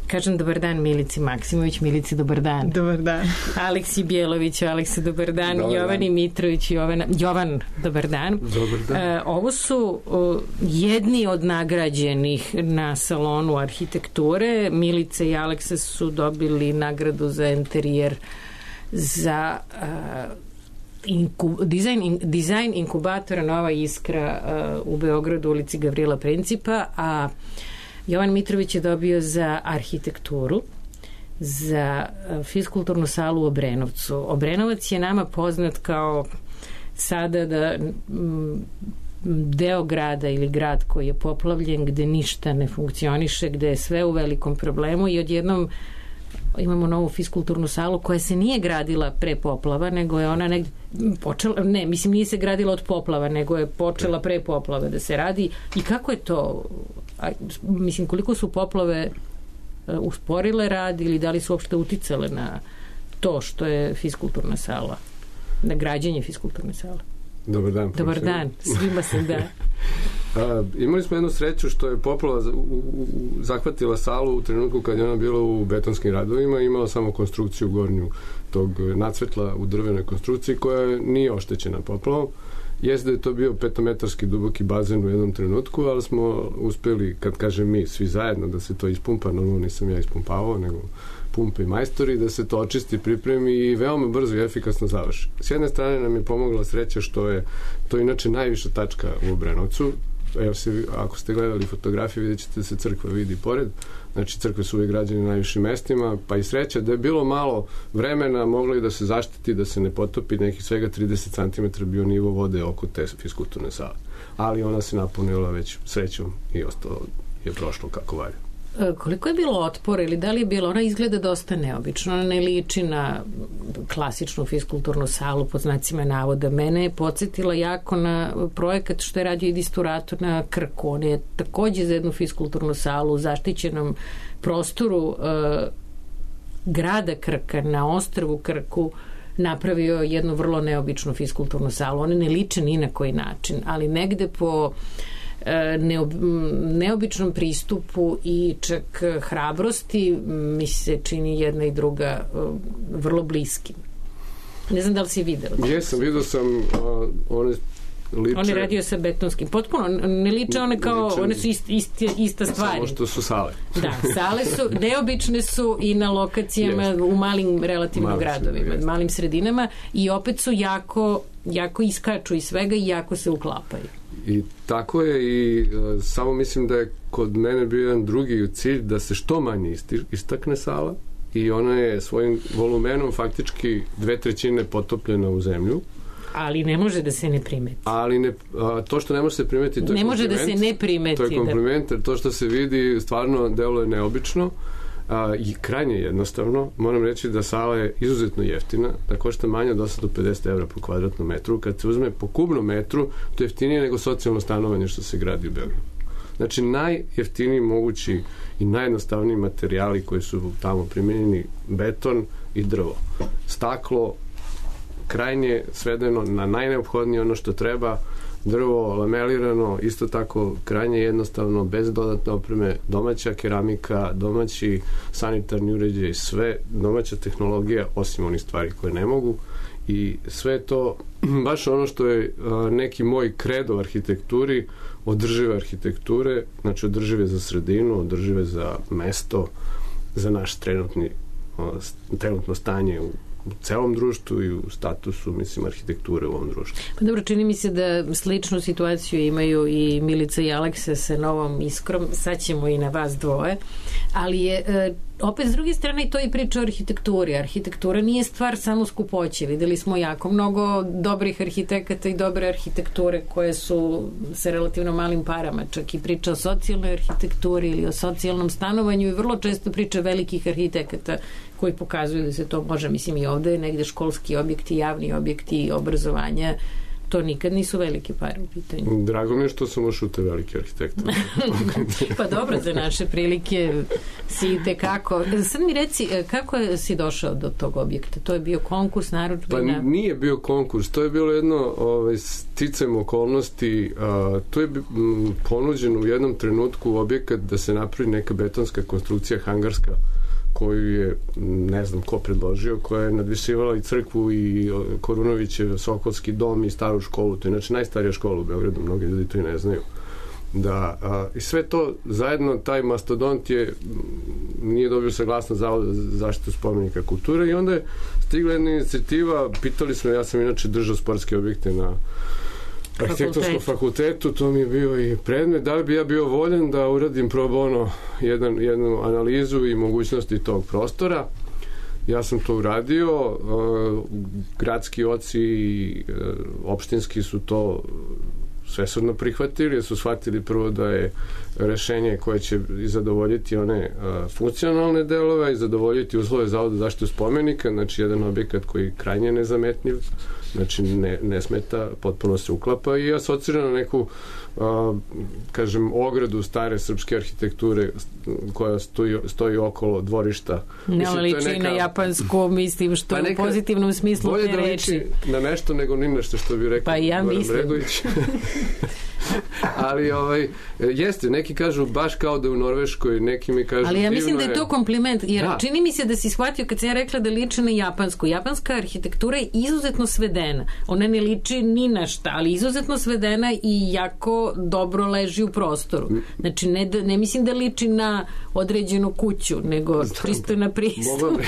Kažem dobar dan Milici Maksimović. Milici, dobar dan. Dobar dan. Aleksi Bjelović, Aleksa, dobar dan. Dobar Jovani dan. Mitrović, Jovana, Jovan, dobar dan. Dobar dan. Uh, ovo su uh, jedni od nagrađenih na salonu arhitekture. Milica i Aleksa su dobili nagradu za interijer za uh, inku, dizajn, in, dizajn inkubatora Nova Iskra uh, u Beogradu, ulici Gavrila Principa, a Jovan Mitrović je dobio za arhitekturu, za uh, fiskulturnu salu u Obrenovcu. Obrenovac je nama poznat kao sada da m, deo grada ili grad koji je poplavljen, gde ništa ne funkcioniše, gde je sve u velikom problemu i odjednom imamo novu fiskulturnu salu koja se nije gradila pre poplava, nego je ona negde počela, ne, mislim nije se gradila od poplava, nego je počela pre poplave da se radi. I kako je to, a, mislim, koliko su poplave uh, usporile rad ili da li su uopšte uticale na to što je fiskulturna sala, na građenje fiskulturne sale? Dobar dan. Dobar dan, svima se da. A, imali smo jednu sreću što je poplava u, u, zahvatila salu u trenutku kad je ona bila u betonskim radovima, imala samo konstrukciju gornju tog nacvetla u drvenoj konstrukciji koja nije oštećena poplavom. Jeste da je to bio petometarski duboki bazen u jednom trenutku, ali smo uspeli, kad kažem mi, svi zajedno da se to ispumpa, normalno nisam ja ispumpavao, nego pumpe i majstori, da se to očisti, pripremi i veoma brzo i efikasno završi. S jedne strane nam je pomogla sreća što je to inače najviša tačka u Obrenovcu. Evo se, ako ste gledali fotografije, vidjet ćete da se crkva vidi pored. Znači, crkve su uvijek građene na najvišim mestima, pa i sreća da je bilo malo vremena, moglo i da se zaštiti, da se ne potopi, nekih svega trideset centimetara bio nivo vode oko te fiskulturne sale. Ali ona se napunila već srećom i ostalo je prošlo kako valja. Koliko je bilo otpora ili da li je bilo, ona izgleda dosta neobično, ona ne liči na klasičnu fiskulturnu salu pod znacima navoda. Mene je podsjetila jako na projekat što je radio Idisturator na Krku. On je takođe za jednu fiskulturnu salu u zaštićenom prostoru e, grada Krka na ostrvu Krku napravio jednu vrlo neobičnu fiskulturnu salu. One ne liče ni na koji način, ali negde po Neob, neobičnom pristupu i čak hrabrosti mi se čini jedna i druga vrlo bliskim. Ne znam da li si vidio. Jesam, vidio sam uh, one liče... On je radio sa betonskim. Potpuno, ne liče one kao, liče, one su ist, ist, ista stvari. Samo što su sale. Da, sale su, neobične su i na lokacijama jest. U malim relativno malim gradovima, jest. Malim sredinama i opet su jako, jako iskaču iz svega i jako se uklapaju. I tako je i uh, samo mislim da je kod mene bio jedan drugi cilj da se što manje isti, istakne sala i ona je svojim volumenom faktički dve trećine potopljena u zemlju. Ali ne može da se ne primeti. Ali ne, a, to što ne može se primeti, to je ne može da se ne primeti. To je kompliment, jer to što se vidi stvarno deluje neobično. A, i krajnje jednostavno. Moram reći da sala je izuzetno jeftina, da košta manje od osamsto pedeset evra po kvadratnom metru. Kad se uzme po kubnom metru, to je jeftinije nego socijalno stanovanje što se gradi u Beogradu. Znači, najjeftiniji mogući i najjednostavniji materijali koji su tamo primjenjeni, beton i drvo. Staklo, krajnje svedeno na najneophodnije ono što treba, drvo lamelirano, isto tako krajnje jednostavno, bez dodatne opreme, domaća keramika, domaći sanitarni uređaj, sve domaća tehnologija, osim onih stvari koje ne mogu, i sve to baš ono što je a, neki moj kredo u arhitekturi, održive arhitekture, znači održive za sredinu, održive za mesto, za naš trenutni, a, trenutno stanje u u celom društvu i u statusu, mislim, arhitekture u ovom društvu. Pa dobro, čini mi se da sličnu situaciju imaju i Milica i Aleksa sa Novom Iskrom, sad ćemo i na vas dvoje, ali je e, opet s druge strane i to i priča o arhitekturi. Arhitektura nije stvar samo skupoće. Videli smo jako mnogo dobrih arhitekata i dobre arhitekture koje su sa relativno malim parama, čak i priča o socijalnoj arhitekturi ili o socijalnom stanovanju i vrlo često priča velikih arhitekata koji pokazuju da se to može, mislim, i ovde negde školski objekti, javni objekti, obrazovanja, to nikad nisu velike pare u pitanju. Drago mi je što sam ušao u te velike arhitekte. Pa dobro, za naše prilike si tekako. Sad mi reci, kako si došao do tog objekta? To je bio konkurs, narudžbina? Pa nije bio konkurs, to je bilo jedno ovaj, sticajem okolnosti. A, to je m, ponuđeno u jednom trenutku objekat da se napravi neka betonska konstrukcija hangarska koju je, ne znam ko predložio, koja je nadvisivala i crkvu i Korunovićev Sokolski dom i staru školu. To je znači najstarija škola u Beogradu, mnogi ljudi to i ne znaju. Da, a, i sve to zajedno, taj mastodont je nije dobio saglasnost Zavoda za zaštitu spomenika kulture i onda je stigla jedna inicijativa, pitali smo, ja sam inače držao sportske objekte na arhitektonskom fakultetu, to mi je bio i predmet, da li bi ja bio voljen da uradim pro bono jedan, jednu analizu i mogućnosti tog prostora. Ja sam to uradio, gradski oci i opštinski su to svesrdno prihvatili, jer su shvatili prvo da je rešenje koje će zadovoljiti one a, funkcionalne delove i zadovoljiti uslove Zavoda za zaštitu spomenika, znači jedan objekat koji je krajnje nezametljiv, znači ne, ne smeta, potpuno se uklapa i asocira na neku a, kažem, ogradu stare srpske arhitekture koja stoji, stoji okolo dvorišta. Ne, ali liči neka... na japansku, mislim, što pa neka, u pozitivnom smislu te reči. Bolje da liči na nešto nego ni nešto, što bi rekao pa ja Goran mislim. Bregović. Ali ovaj, jeste, neki kažu baš kao da je u Norveškoj, neki mi kažu ali ja mislim da je je... to kompliment, jer da. Čini mi se da si shvatio kad sam ja rekla da liči na japansku. Japanska arhitektura je izuzetno svedena. Ona ne liči ni na šta, ali izuzetno svedena i jako dobro leži u prostoru. Znači, ne, da, ne mislim da liči na određenu kuću, nego čisto na pristup. Mogu,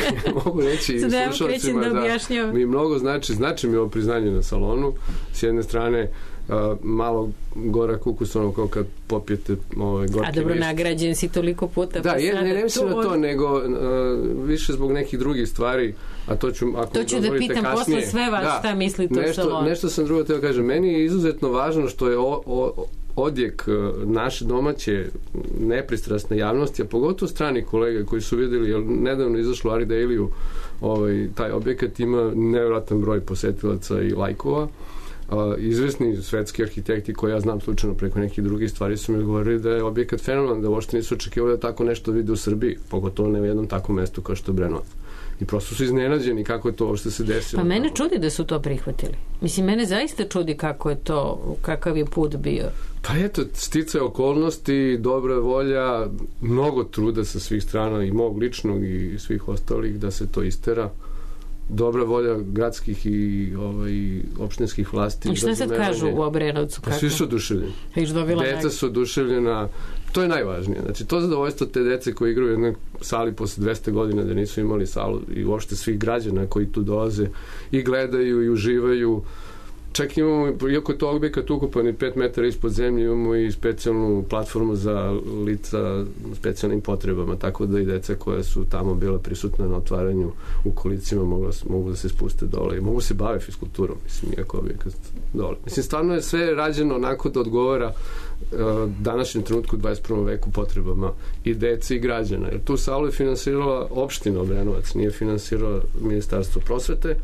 mogu reći i slušalcima da, da mi mnogo znači, znači mi ovo priznanje na salonu. S jedne strane, Uh, malo gora kukus, ono kao kad popijete ovaj, gorki a dobro list. Nagrađen si toliko puta. Da, je, ne, ne mislim na to, od... nego uh, više zbog nekih drugih stvari, a to ću, ako to ću da pitam kasnije, posle sve vas da, šta mislite nešto, o salonu. Nešto sam drugo teo kažem. Meni je izuzetno važno što je o, o, odjek naše domaće nepristrasne javnosti, a pogotovo strani kolega koji su vidjeli, jer nedavno izašlo Ari Daily-u, ovaj, taj objekat ima nevjerojatan broj posetilaca i lajkova. Uh, izvesni svetski arhitekti koji ja znam slučajno preko nekih drugih stvari su mi govorili da je objekat fenomen, da uopšte nisu očekivali da tako nešto vide u Srbiji, pogotovo ne u jednom takvom mestu kao što je Brenovac. I prosto su iznenađeni kako je to uopšte se desilo. Pa mene čudi da su to prihvatili. Mislim, mene zaista čudi kako je to, kakav je put bio. Pa eto, sticaj okolnosti, dobra volja, mnogo truda sa svih strana i mog ličnog i svih ostalih da se to istera. Dobra volja gradskih i ovaj, opštinskih vlasti. I šta sad kažu u Obrenovcu? Pa svi su oduševljeni. Deca nek... su oduševljena. To je najvažnije. Znači, to zadovoljstvo te dece koji igraju u jednoj sali posle dvesta godina da nisu imali salu i uopšte svih građana koji tu dolaze i gledaju i uživaju. Čak imamo, iako je to objekat ukupan i pet metara ispod zemlje, imamo i specijalnu platformu za lica specijalnim potrebama, tako da i deca koja su tamo bila prisutna na otvaranju u kolicima mogu, mogu da se spuste dole i mogu se bave fiskulturom, mislim, iako objekat dole. Mislim, stvarno je sve rađeno onako da odgovara uh, današnjem trenutku u dvadeset prvom veku potrebama i dece i građana. Jer tu salu je finansirala opština Obrenovac, nije finansirala Ministarstvo prosvete,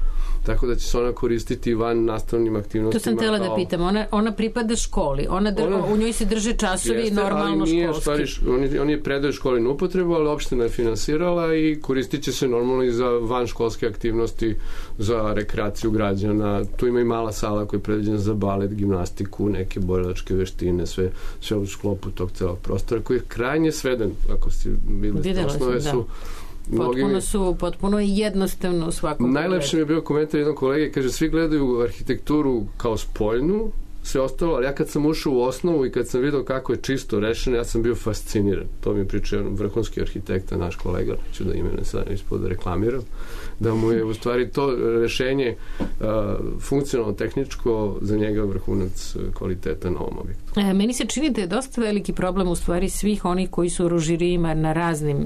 tako da će se ona koristiti van nastavnim aktivnostima. To sam tela da pitam. Ona, ona pripada školi. Ona, dr... ona u njoj se drže časovi jeste, normalno ali nije, školski. Stvari, oni, oni je predaju školi na upotrebu, ali opština je finansirala i koristit će se normalno i za van školske aktivnosti, za rekreaciju građana. Tu ima i mala sala koja je predviđena za balet, gimnastiku, neke borilačke veštine, sve, sve u sklopu tog celog prostora koji je krajnje sveden, ako ste bili osnove su Potpuno su, potpuno je jednostavno u svakom. Najlepše mi je bio komentar jednog kolege, kaže, svi gledaju arhitekturu kao spoljnu, sve ostalo, ali ja kad sam ušao u osnovu i kad sam vidio kako je čisto rešeno, ja sam bio fasciniran. To mi je pričao jedan vrhunski arhitekta, naš kolega, neću da imene sad ispod reklamiram, da mu je u stvari to rešenje uh, funkcionalno tehničko za njega vrhunac kvaliteta na ovom objektu. E, meni se čini da je dosta veliki problem u stvari svih onih koji su u žirijima na raznim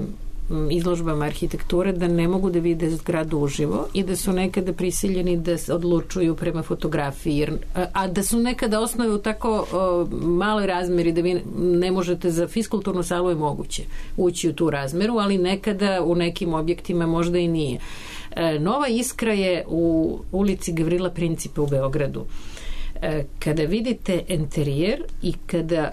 izložbama arhitekture da ne mogu da vide zgradu uživo i da su nekada prisiljeni da se odlučuju prema fotografiji, jer, a da su nekada osnove u tako o, maloj razmeri da vi ne možete za fiskulturnu salu je moguće ući u tu razmeru, ali nekada u nekim objektima možda i nije. E, Nova Iskra je u ulici Gavrila Principa u Beogradu. E, kada vidite enterijer i kada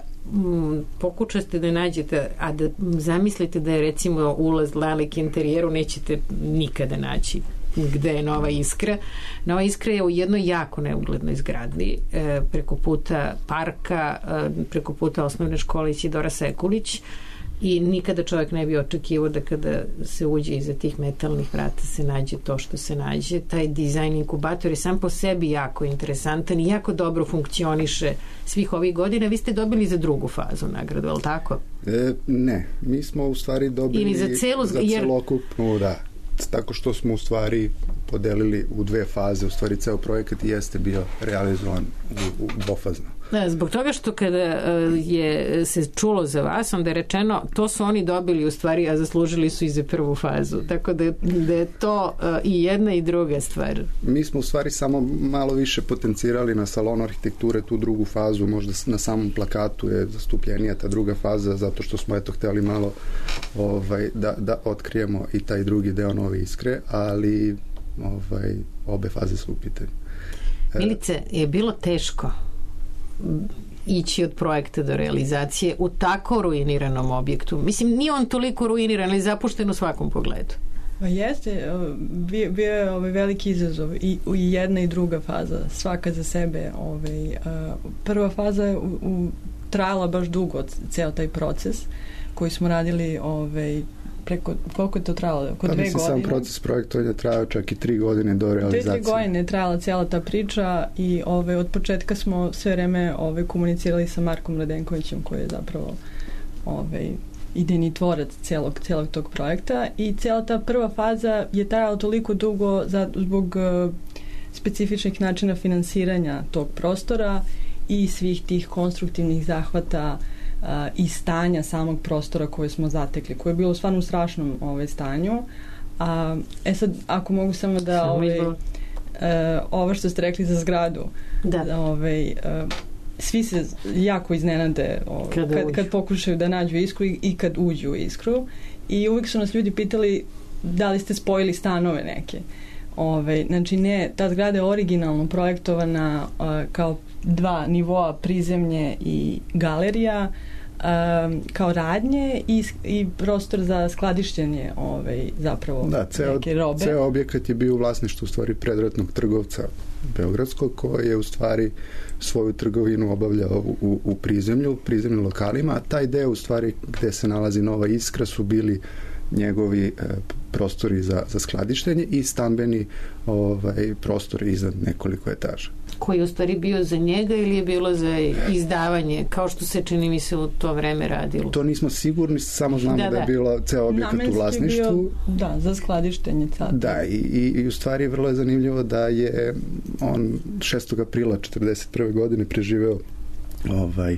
pokušate da nađete, a da zamislite da je recimo ulaz nalik interijeru, nećete nikada naći gde je Nova Iskra. Nova Iskra je u jednoj jako neuglednoj zgradi, preko puta parka, preko puta osnovne škole Isidora Sekulić, i nikada čovjek ne bi očekivao da kada se uđe iza tih metalnih vrata se nađe to što se nađe. Taj dizajn inkubator je sam po sebi jako interesantan i jako dobro funkcioniše svih ovih godina. Vi ste dobili za drugu fazu nagradu, je li tako? E, ne, mi smo u stvari dobili ili za, celu, za jer... celokupnu, da, tako što smo u stvari podelili u dve faze, u stvari ceo projekat jeste bio realizovan u, u dvofazno. Da, zbog toga što kada je se čulo za vas, onda je rečeno to su oni dobili u stvari, a zaslužili su i za prvu fazu. Tako da, da je to i jedna i druga stvar. Mi smo u stvari samo malo više potencirali na salonu arhitekture tu drugu fazu, možda na samom plakatu je zastupljenija ta druga faza, zato što smo eto htjeli malo ovaj, da, da otkrijemo i taj drugi deo Nove Iskre, ali ovaj, obe faze su u pitanju. Milice, je bilo teško ići od projekta do realizacije u tako ruiniranom objektu? Mislim, nije on toliko ruiniran, ali zapušten u svakom pogledu. Pa jeste, bio, bio je ovaj veliki izazov i, i jedna i druga faza, svaka za sebe. Ovaj, prva faza je u, u, trajala baš dugo, ceo taj proces koji smo radili ovaj, preko, koliko je to trajalo? Oko pa dve mislim, godine. sam proces projektovanja trajao čak i tri godine do realizacije. Dve, tri godine je trajala cijela ta priča i ove, od početka smo sve vreme ove, komunicirali sa Markom Radenkovićem koji je zapravo ove, idejni tvorac cijelog, cijelog tog projekta i cijela ta prva faza je trajala toliko dugo za, zbog uh, specifičnih načina finansiranja tog prostora i svih tih konstruktivnih zahvata uh, i stanja samog prostora koje smo zatekli, koje je bilo stvarno u strašnom ovaj, stanju. A, e sad, ako mogu samo da ovaj, uh, ovo što ste rekli za zgradu, da. Ovaj, uh, svi se jako iznenade ovaj, kad, kad pokušaju da nađu iskru i, i kad uđu u iskru i uvijek su nas ljudi pitali da li ste spojili stanove neke. Ove, znači ne, ta zgrada je originalno projektovana uh, kao dva nivoa, prizemlje i galerija, um, kao radnje i, i prostor za skladištenje ovaj, zapravo da, ceo, neke robe. Ceo objekat je bio u vlasništvu u stvari predratnog trgovca beogradskog koji je u stvari svoju trgovinu obavljao u, u, u prizemlju, u prizemnim lokalima, a taj deo u stvari gde se nalazi Nova Iskra su bili njegovi e, prostori za, za skladištenje i stambeni ovaj, prostori iznad nekoliko etaža. Koji je u stvari bio za njega ili je bilo za izdavanje, kao što se čini mi se u to vreme radilo? To nismo sigurni, samo znamo da, da. da je bilo ceo objekat namenski u vlasništvu. Bio, da, za skladištenje. Sad. Da, i, i, i u stvari vrlo je zanimljivo da je on šestog aprila četrdeset prve godine preživeo ovaj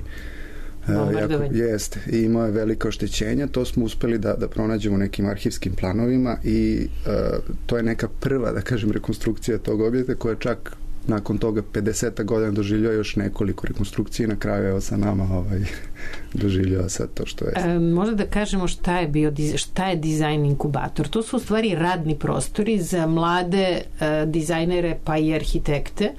bombardovanje. Uh, jeste, i imao je velika oštećenja, to smo uspeli da, da pronađemo nekim arhivskim planovima i uh, to je neka prva, da kažem, rekonstrukcija tog objekta koja čak nakon toga pedeset godina doživljava još nekoliko rekonstrukcije, na kraju evo sa nama ovaj, doživljava sad to što je. E, možda da kažemo šta je bio, šta je dizajn inkubator. To su u stvari radni prostori za mlade e, dizajnere pa i arhitekte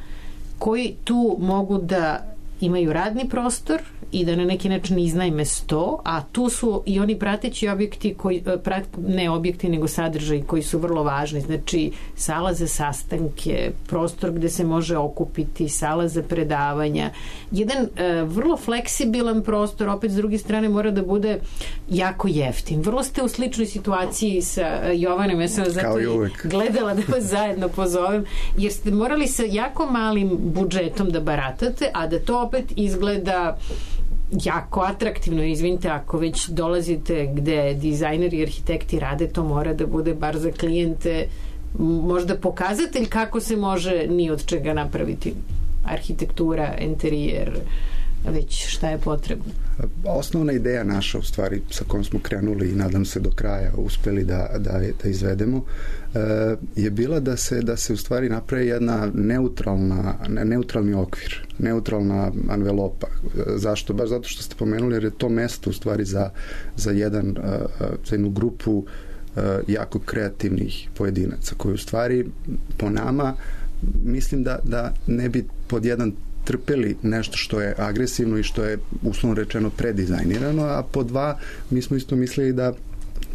koji tu mogu da imaju radni prostor i da na neki način iznajme sto, a tu su i oni prateći objekti koji, prat, ne objekti nego sadržaji koji su vrlo važni, znači sala za sastanke, prostor gde se može okupiti, sala za predavanja, jedan e, vrlo fleksibilan prostor, opet s druge strane mora da bude jako jeftin. Vrlo ste u sličnoj situaciji sa Jovanom, ja sam vas zato i gledala da vas zajedno pozovem, jer ste morali sa jako malim budžetom da baratate, a da to opet izgleda jako atraktivno. Izvinite, ako već dolazite gde dizajneri i arhitekti rade, to mora da bude bar za klijente možda pokazatelj kako se može ni od čega napraviti arhitektura, interijer, već šta je potrebno. Osnovna ideja naša, u stvari, sa kojom smo krenuli i nadam se do kraja uspeli da, da, da izvedemo, je bila da se, da se u stvari napravi jedna neutralna, neutralni okvir, neutralna envelopa. Zašto? Baš zato što ste pomenuli, jer je to mesto u stvari za, za, jedan, za jednu grupu jako kreativnih pojedinaca koji u stvari po nama mislim da, da ne bi pod jedan trpeli nešto što je agresivno i što je uslovno rečeno predizajnirano, a po dva mi smo isto mislili da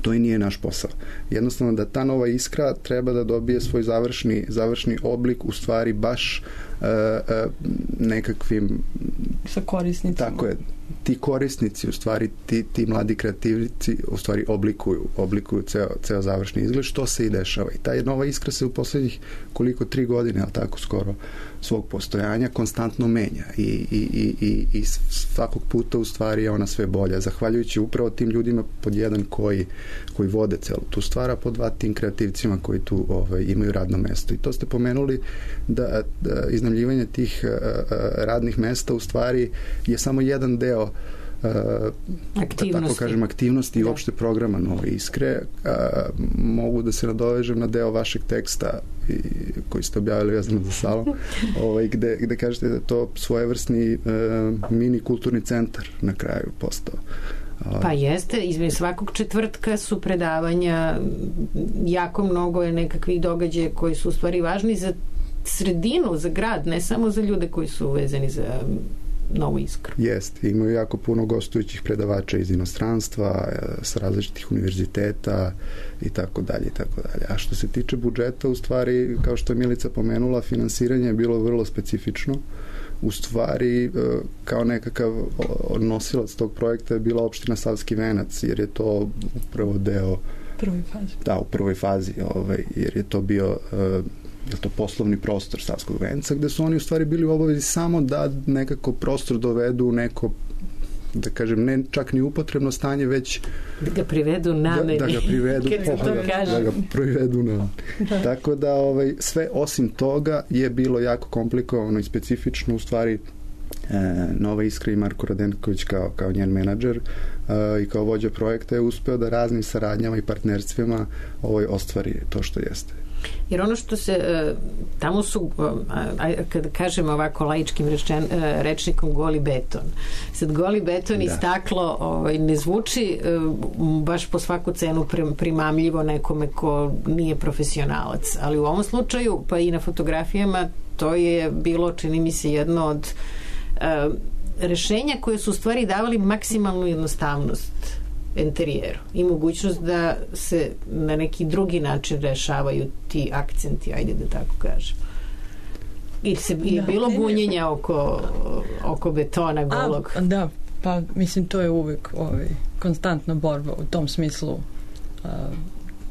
to i nije naš posao. Jednostavno da ta nova iskra treba da dobije svoj završni, završni oblik u stvari baš uh, uh, nekakvim sa korisnicima. Tako je. Ti korisnici, u stvari ti, ti mladi kreativci u stvari oblikuju, oblikuju ceo, ceo završni izgled, što se i dešava. I ta nova iskra se u poslednjih koliko tri godine, ali tako skoro, svog postojanja konstantno menja i, i, i, i, i svakog puta u stvari je ona sve bolja. Zahvaljujući upravo tim ljudima pod jedan koji, koji vode celu tu stvar, a pod dva tim kreativcima koji tu ovaj, imaju radno mesto. I to ste pomenuli da, da iznajmljivanje tih uh, radnih mesta u stvari je samo jedan deo aktivnosti. Da tako kažem, aktivnosti i uopšte programa Nove Iskre. A, mogu da se nadovežem na deo vašeg teksta i, koji ste objavili vezano za salon, ovaj, gde, gde kažete da je to svojevrsni uh, mini kulturni centar na kraju postao. Pa jeste, između svakog četvrtka su predavanja, jako mnogo je nekakvih događaja koji su u stvari važni za sredinu, za grad, ne samo za ljude koji su vezani za Novu Iskru. Jeste, imaju jako puno gostujućih predavača iz inostranstva, sa različitih univerziteta i tako dalje i tako dalje. A što se tiče budžeta, u stvari, kao što je Milica pomenula, finansiranje je bilo vrlo specifično. U stvari, kao nekakav nosilac tog projekta je bila opština Savski Venac, jer je to upravo deo prvoj fazi. Da, u prvoj fazi, ovaj, jer je to bio je to poslovni prostor Savskog Venca, gde su oni u stvari bili u obavezi samo da nekako prostor dovedu u neko, da kažem, ne čak ni upotrebno stanje, već da ga privedu nameni. Da, da ga privedu, da, da ga privedu nameni. Da. Tako da ovaj, sve osim toga je bilo jako komplikovano i specifično u stvari. E, Nova Iskra i Marko Radenković kao, kao njen menadžer e, i kao vođa projekta je uspeo da raznim saradnjama i partnerstvima ovaj, ostvari to što jeste. Jer ono što se tamo su, kada kažemo ovako laičkim rečen, rečnikom, goli beton. Sad goli beton da. I staklo ovaj, ne zvuči baš po svaku cenu primamljivo nekome ko nije profesionalac, ali u ovom slučaju, pa i na fotografijama, to je bilo, čini mi se, jedno od uh, rešenja koje su u stvari davali maksimalnu jednostavnost interijeru i mogućnost da se na neki drugi način rešavaju ti akcenti, ajde da tako kažem. I se je da, bilo bunjenja oko, oko betona golog. A, da, pa mislim to je uvek ovaj, konstantna borba u tom smislu a,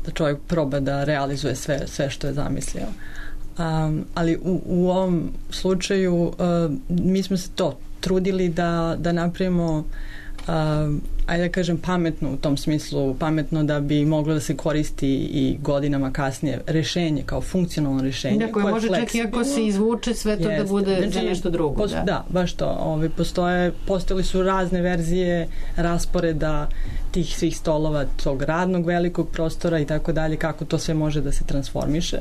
da čovjek proba da realizuje sve, sve što je zamislio. Um, ali u, u ovom slučaju uh, mi smo se to trudili da, da napravimo Uh, ajde da kažem pametno u tom smislu, pametno da bi moglo da se koristi i godinama kasnije rešenje, kao funkcionalno rešenje. Da, koje može čak i ako se izvuče sve to Jeste. Da bude znači, za nešto drugo. Pos, da. da, baš to. Ovi, postoje, postojali su razne verzije rasporeda tih svih stolova, tog radnog velikog prostora i tako dalje, kako to sve može da se transformiše.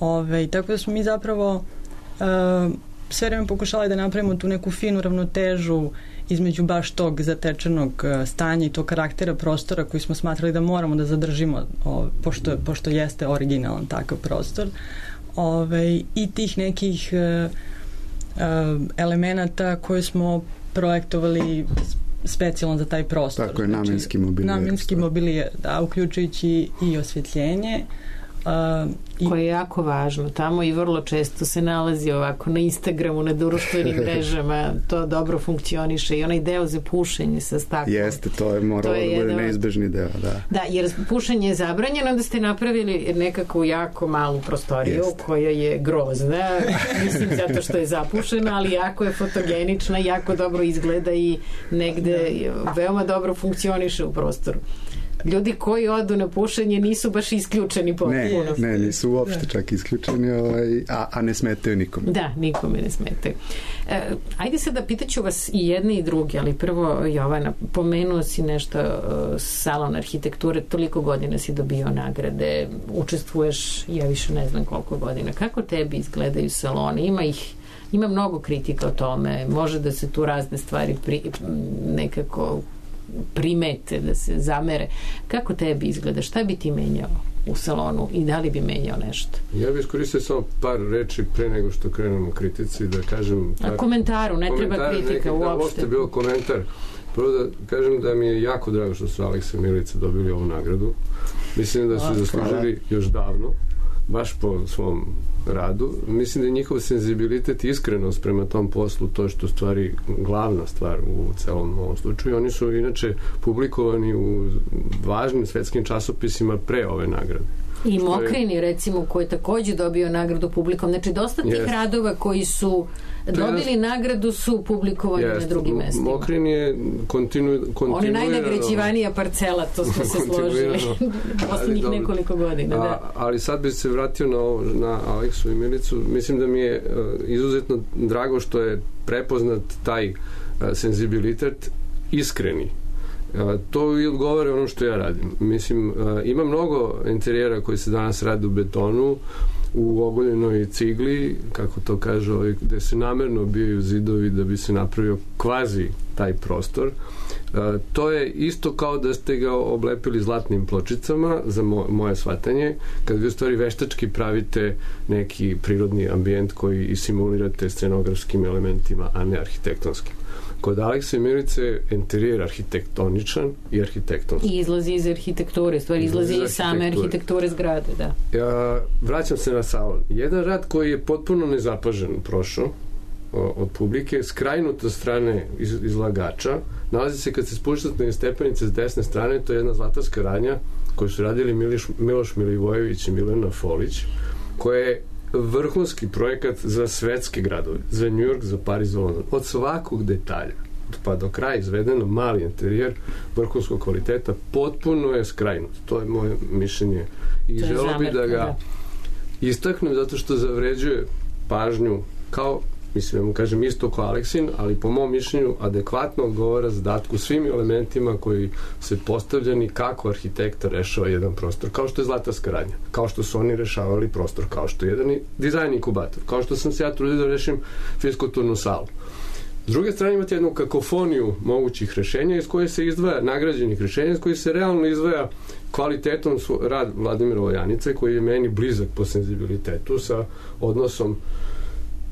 Ove, tako da smo mi zapravo uh, sve vreme pokušali da napravimo tu neku finu ravnotežu između baš tog zatečenog stanja i tog karaktera prostora koji smo smatrali da moramo da zadržimo o, pošto, pošto jeste originalan takav prostor ove, i tih nekih e, elemenata koje smo projektovali specijalno za taj prostor. Tako je, namenski mobilijer. Namenski mobilijer, da, uključujući i osvjetljenje. Uh, i... koje je jako važno tamo i vrlo često se nalazi ovako na Instagramu, na društvenim mrežama, to dobro funkcioniše i onaj deo za pušenje sa staklom. Jeste, to je moralo to je da bude jedan... neizbežni deo, da. Da, jer pušenje je zabranjeno, onda ste napravili nekako jako malu prostoriju Jeste. Koja je grozna, mislim zato što je zapušena, ali jako je fotogenična, jako dobro izgleda i negde da. Veoma dobro funkcioniše u prostoru. Ljudi koji odu na pušenje nisu baš isključeni potpuno. Ne, ne, nisu uopšte da. Čak isključeni, ovaj, a, a ne smetaju nikome. Da, nikome ne smetaju. E, ajde sad da pitaću vas i jedni i drugi, ali prvo, Jovana, pomenuo si nešto uh, salon arhitekture, toliko godina si dobio nagrade, učestvuješ, ja više ne znam koliko godina. Kako tebi izgledaju saloni? Ima ih ima mnogo kritika o tome, može da se tu razne stvari pri, nekako primete, da se zamere. Kako tebi izgleda? Šta bi ti menjao u salonu i da li bi menjao nešto? Ja bih iskoristio samo par reči pre nego što krenemo kritici, da kažem... Par... A komentaru, ne treba kritika uopšte. uopšte. Da, uopšte bilo komentar. Prvo da kažem da mi je jako drago što su Aleksa i Milica dobili ovu nagradu. Mislim da su zaslužili još davno, baš po svom radu. Mislim da je njihov senzibilitet i iskrenost prema tom poslu to što stvari glavna stvar u celom ovom slučaju. Oni su inače publikovani u važnim svetskim časopisima pre ove nagrade. I Mokrini, recimo, koji je takođe dobio nagradu publikom. Znači, dosta tih yes. radova koji su dobili je, nagradu su publikovani yes, na drugim mestima. Mokrin je kontinu, kontinuirano... On je najnagrađivanija parcela, to smo se složili poslednjih nekoliko godina. Da. A, ali sad bih se vratio na, ovo, na Aleksu i Milicu. Mislim da mi je uh, izuzetno drago što je prepoznat taj uh, senzibilitet iskreni. Uh, to i odgovara ono što ja radim. Mislim, uh, ima mnogo interijera koji se danas rade u betonu, u ogoljenoj cigli, kako to kaže, ovaj, gde se namerno obijaju zidovi da bi se napravio kvazi taj prostor. Uh, to je isto kao da ste ga oblepili zlatnim pločicama, za mo moje shvatanje, kad vi u stvari veštački pravite neki prirodni ambijent koji i simulirate scenografskim elementima, a ne arhitektonskim. Kod Aleksa i Milice interijer arhitektoničan i arhitektonski. I izlazi iz arhitekture, stvari izlazi iz same arhitekture zgrade, da. Ja vraćam se na salon. Jedan rad koji je potpuno nezapažen prošao od publike, skrajnut od strane iz, izlagača, nalazi se kad se spuštate na stepenice s desne strane, to je jedna zlatarska radnja koju su radili Miliš, Miloš Milivojević i Milena Folić, koja je vrhunski projekat za svetske gradove, za New York, za Pariz, za London, od svakog detalja pa do kraja izvedeno, mali interijer vrhunskog kvaliteta, potpuno je skrajnut. To je moje mišljenje i želeo bih da ga istaknem zato što zavređuje pažnju kao, mislim, ja mu kažem isto kao Aleksin, ali po mom mišljenju adekvatno odgovara zadatku svim elementima koji se postavljeni kako arhitekta rešava jedan prostor, kao što je zlatarska radnja, kao što su oni rešavali prostor, kao što je jedan dizajn inkubator, kao što sam se ja trudio da rešim fiskulturnu salu. S druge strane imate jednu kakofoniju mogućih rešenja iz koje se izdvaja, nagrađenih rešenja, iz koje se realno izdvaja kvalitetom rad Vladimira Oljanice, koji je meni blizak po senzibilitetu sa odnosom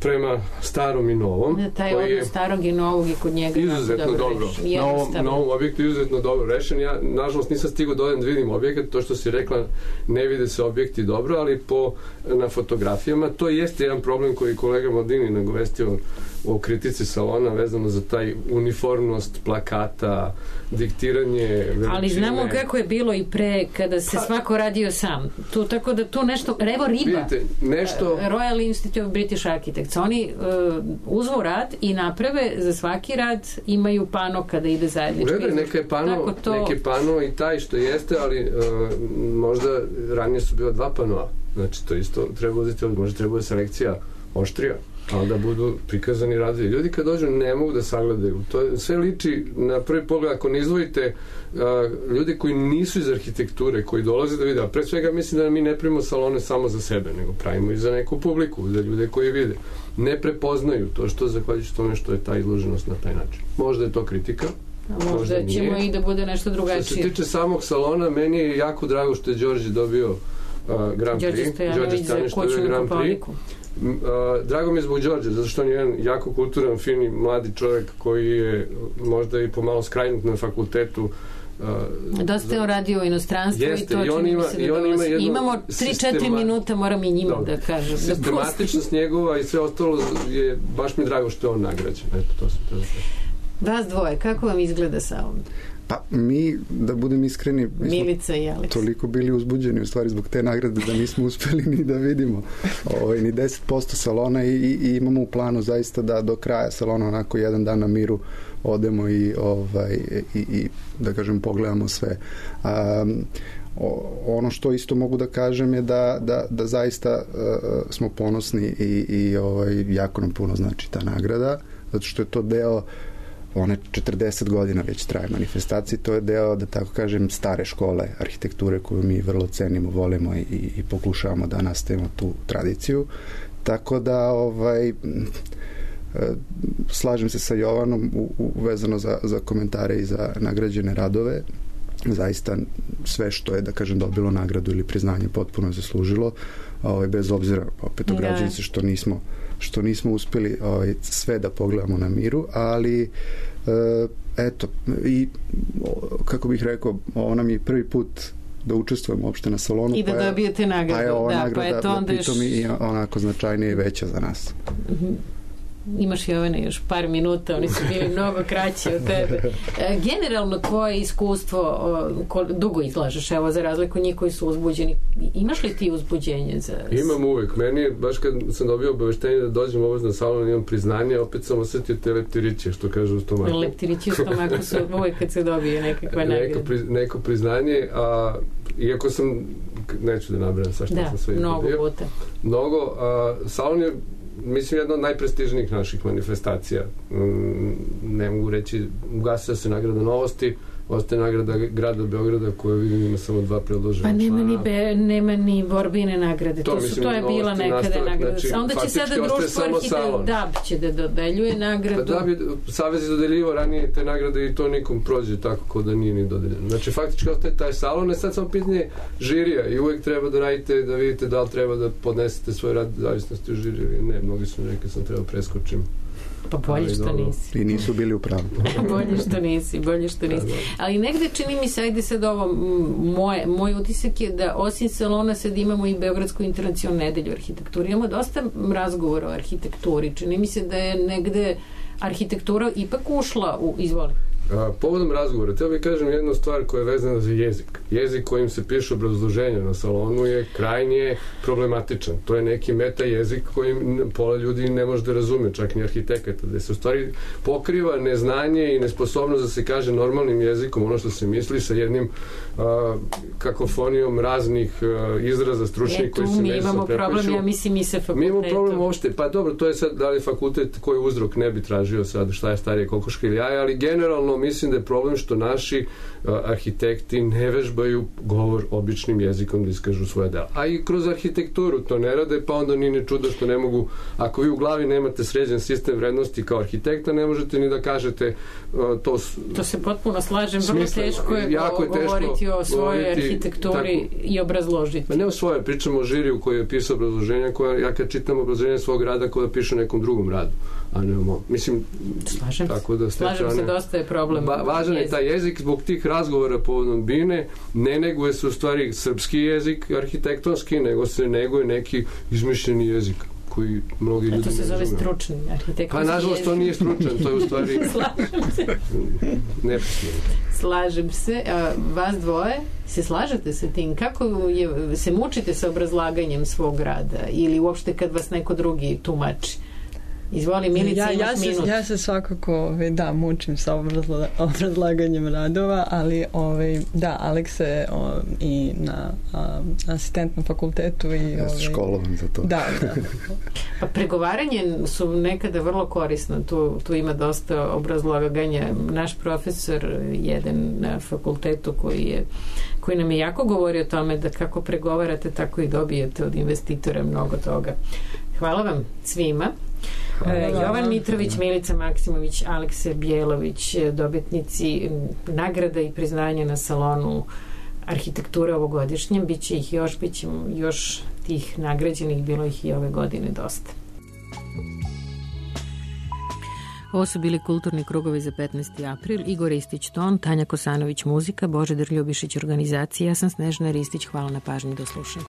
prema starom i novom. Da, taj odnos starog i novog je kod njega izuzetno dobro. dobro. Na, ovom, na ovom objektu je izuzetno dobro rešen. Ja, nažalost, nisam stigao dodan da vidim objekat. To što si rekla, ne vide se objekti dobro, ali po, na fotografijama to jeste jedan problem koji kolega Maldini nagovestio o kritici salona vezano za taj uniformnost plakata, diktiranje veličine. Ali znamo kako je bilo i pre kada se pa, svako radio sam. Tu, tako da tu nešto, evo Riba, vidite, nešto... Royal Institute of British Architects, oni uh, uzvu rad i naprave za svaki rad imaju pano kada ide zajednički. U redu, neka je pano, to... neke pano i taj što jeste, ali uh, možda ranije su bila dva panoa. Znači, to isto treba uzeti, možda treba selekcija oštrija, ali da budu prikazani radovi. Ljudi kad dođu ne mogu da sagledaju. To sve liči na prvi pogled, ako ne izdvojite uh, ljudi koji nisu iz arhitekture, koji dolaze da vide, a pre svega mislim da mi ne pravimo salone samo za sebe, nego pravimo i za neku publiku, za ljude koji vide. Ne prepoznaju to što zahvaljujući tome što je ta izloženost na taj način. Možda je to kritika, a možda, možda ćemo i da bude nešto drugačije. Što se tiče samog salona, meni je jako drago što je Đorđe dobio uh, Grand Prix. Đorđe Stojanović dobio Grand Prix. Uh, drago mi je zbog Đorđe, zato što on je jedan jako kulturan, fini, mladi čovjek koji je možda i pomalo skrajnut na fakultetu. Uh, Dosta je on radio u inostranstvu i to čini mi se da dolazi. Imamo tri četiri minuta, moram i njima Dobre. da kažem. Sistematičnost da njegova i sve ostalo je, baš mi drago što je on nagrađen. Eto, to sam te da Vas dvoje, kako vam izgleda salon? Pa mi, da budem iskreni, Milica i Aleks, toliko bili uzbuđeni u stvari zbog te nagrade da nismo uspeli ni da vidimo ovaj, ni deset posto salona i, i, i imamo u planu zaista da do kraja salona onako jedan dan na miru odemo i, ovaj, i, i da kažem pogledamo sve. Um, ono što isto mogu da kažem je da, da, da zaista uh, smo ponosni i, i ovaj, jako nam puno znači ta nagrada, zato što je to deo one četrdeset godina već traje manifestacije, to je deo, da tako kažem, stare škole arhitekture koju mi vrlo cenimo, volimo i, i pokušavamo da nastavimo tu tradiciju. Tako da ovaj, slažem se sa Jovanom u, u, vezano za, za komentare i za nagrađene radove. Zaista sve što je, da kažem, dobilo nagradu ili priznanje potpuno zaslužilo, ovaj, bez obzira opet ograđujem se što nismo što nismo uspeli ovaj, sve da pogledamo na miru, ali E, eto, i kako bih rekao, ovo nam je prvi put da učestvujemo uopšte na salonu. I da pa je, dobijete nagradu. Pa je ova da, nagrada, pa je to onda da pitom još... i onako značajnije i veća za nas. Mm-hmm. Imaš Jovane još par minuta, oni su bili mnogo kraći od tebe. E, generalno tvoje iskustvo, o, dugo izlažeš, evo za razliku njih koji su uzbuđeni. Imaš li ti uzbuđenje? Za... Imam uvek. Meni, baš kad sam dobio obaveštenje da dođem ovo na salon, imam priznanje, opet sam osetio te leptiriće, što kažu u stomaku. Leptiriće u stomaku su uvek kad se dobije nekakva nagrada. Neko, pri, neko priznanje, a iako sam, neću da nabrajam sa šta da, sam sve mnogo izgledao. puta. Mnogo, a salon je mislim, jedna od najprestižnijih naših manifestacija. Ne mogu reći, ugasila se nagrada Novosti, ostaje nagrada grada Beograda koja vidim ima samo dva predložena. Pa nema ni, be, nema ni borbine nagrade. To, to, mislim, su, to je bila nekada nastavak, nagrada. Znači, a onda će sada društvo arhitekta D A B će da dodeljuje nagradu. Pa D A B je, Savez je dodeljivo ranije te nagrade i to nikom prođe tako kao da nije ni dodeljeno. Znači faktički ostaje taj salon, je sad samo pitanje žirija i uvek treba da radite, da vidite da li treba da podnesete svoj rad zavisnosti u žiriju. Ne, mnogi su rekli sam treba preskočim. Pa bolje što nisi. I nisu bili u pravu. bolje što nisi, bolje što nisi. Ali negde čini mi se, ajde sad ovo, moje, moj utisak je da osim salona sad imamo i Beogradsku internacionalnu nedelju arhitekturi. Imamo dosta razgovora o arhitekturi. Čini mi se da je negde arhitektura ipak ušla u, izvoli. A, povodom razgovora, htio bih kažem jednu stvar koja je vezana za jezik. Jezik kojim se piše obrazloženje na salonu je krajnje problematičan. To je neki meta jezik kojim pola ljudi ne može da razume, čak ni arhitekata, gde se u stvari pokriva neznanje i nesposobnost da se kaže normalnim jezikom ono što se misli sa jednim a, kakofonijom raznih a, izraza stručnih koji se međusobno imamo problem, ja mislim i sa fakultetom. Mi imamo problem uopšte, pa dobro, to je sad da li fakultet koji uzrok ne bi tražio sad šta je starije kokoška ili jaja, ali generalno mislim da je problem što naši uh, arhitekti ne vežbaju govor običnim jezikom da iskažu svoje dela. A i kroz arhitekturu to ne rade, pa onda nije ni čudo što ne mogu, ako vi u glavi nemate sređen sistem vrednosti kao arhitekta, ne možete ni da kažete uh, to... To se potpuno slažem, vrlo teško je, jako je govoriti o svojoj govoriti, arhitekturi tako, i obrazložiti. Ma ne o svojoj, pričamo o žiriju koji je pisao obrazloženja, koja, ja kad čitam obrazloženje svog rada koja piše nekom drugom radu, a ne o mislim, slažem tako da slažem se, dosta je problem. Ba, važan je taj jezik, zbog tih razgovora povodom Bine, ne neguje se u stvari srpski jezik arhitektonski, nego se neguje neki izmišljeni jezik koji mnogi ljudi ne razumeju. To se zove stručni arhitektonski Pa nažalost to nije stručan, to je u stvari slažem se nepismeno. Slažem se, a vas dvoje se slažete sa tim? Kako je, se mučite sa obrazlaganjem svog rada ili uopšte kad vas neko drugi tumači? Izvoli, Milica, ja, imaš ja se, minut. Ja se svakako, da, mučim sa obrazla, obrazlaganjem radova, ali ovaj, da, Aleks je o, i na a, asistent na fakultetu. I, ja sam školovan za to. Da, da. Pa pregovaranje su nekada vrlo korisno. Tu, tu ima dosta obrazlaganja. Naš profesor, jedan na fakultetu koji je koji nam je jako govori o tome da kako pregovarate, tako i dobijete od investitora mnogo toga. Hvala vam svima. Hvala. Jovan Mitrović, Milica Maksimović, Alekse Bjelović, dobitnici nagrada i priznanja na salonu arhitekture ovogodišnjem. Biće ih još, bit će još tih nagrađenih, bilo ih i ove godine dosta. Ovo su bili kulturni krugovi za petnaesti april. Igor Ristić ton, Tanja Kosanović muzika, Božidar Ljubišić organizacija. Ja sam Snežana Ristić. Hvala na pažnji, do slušanja.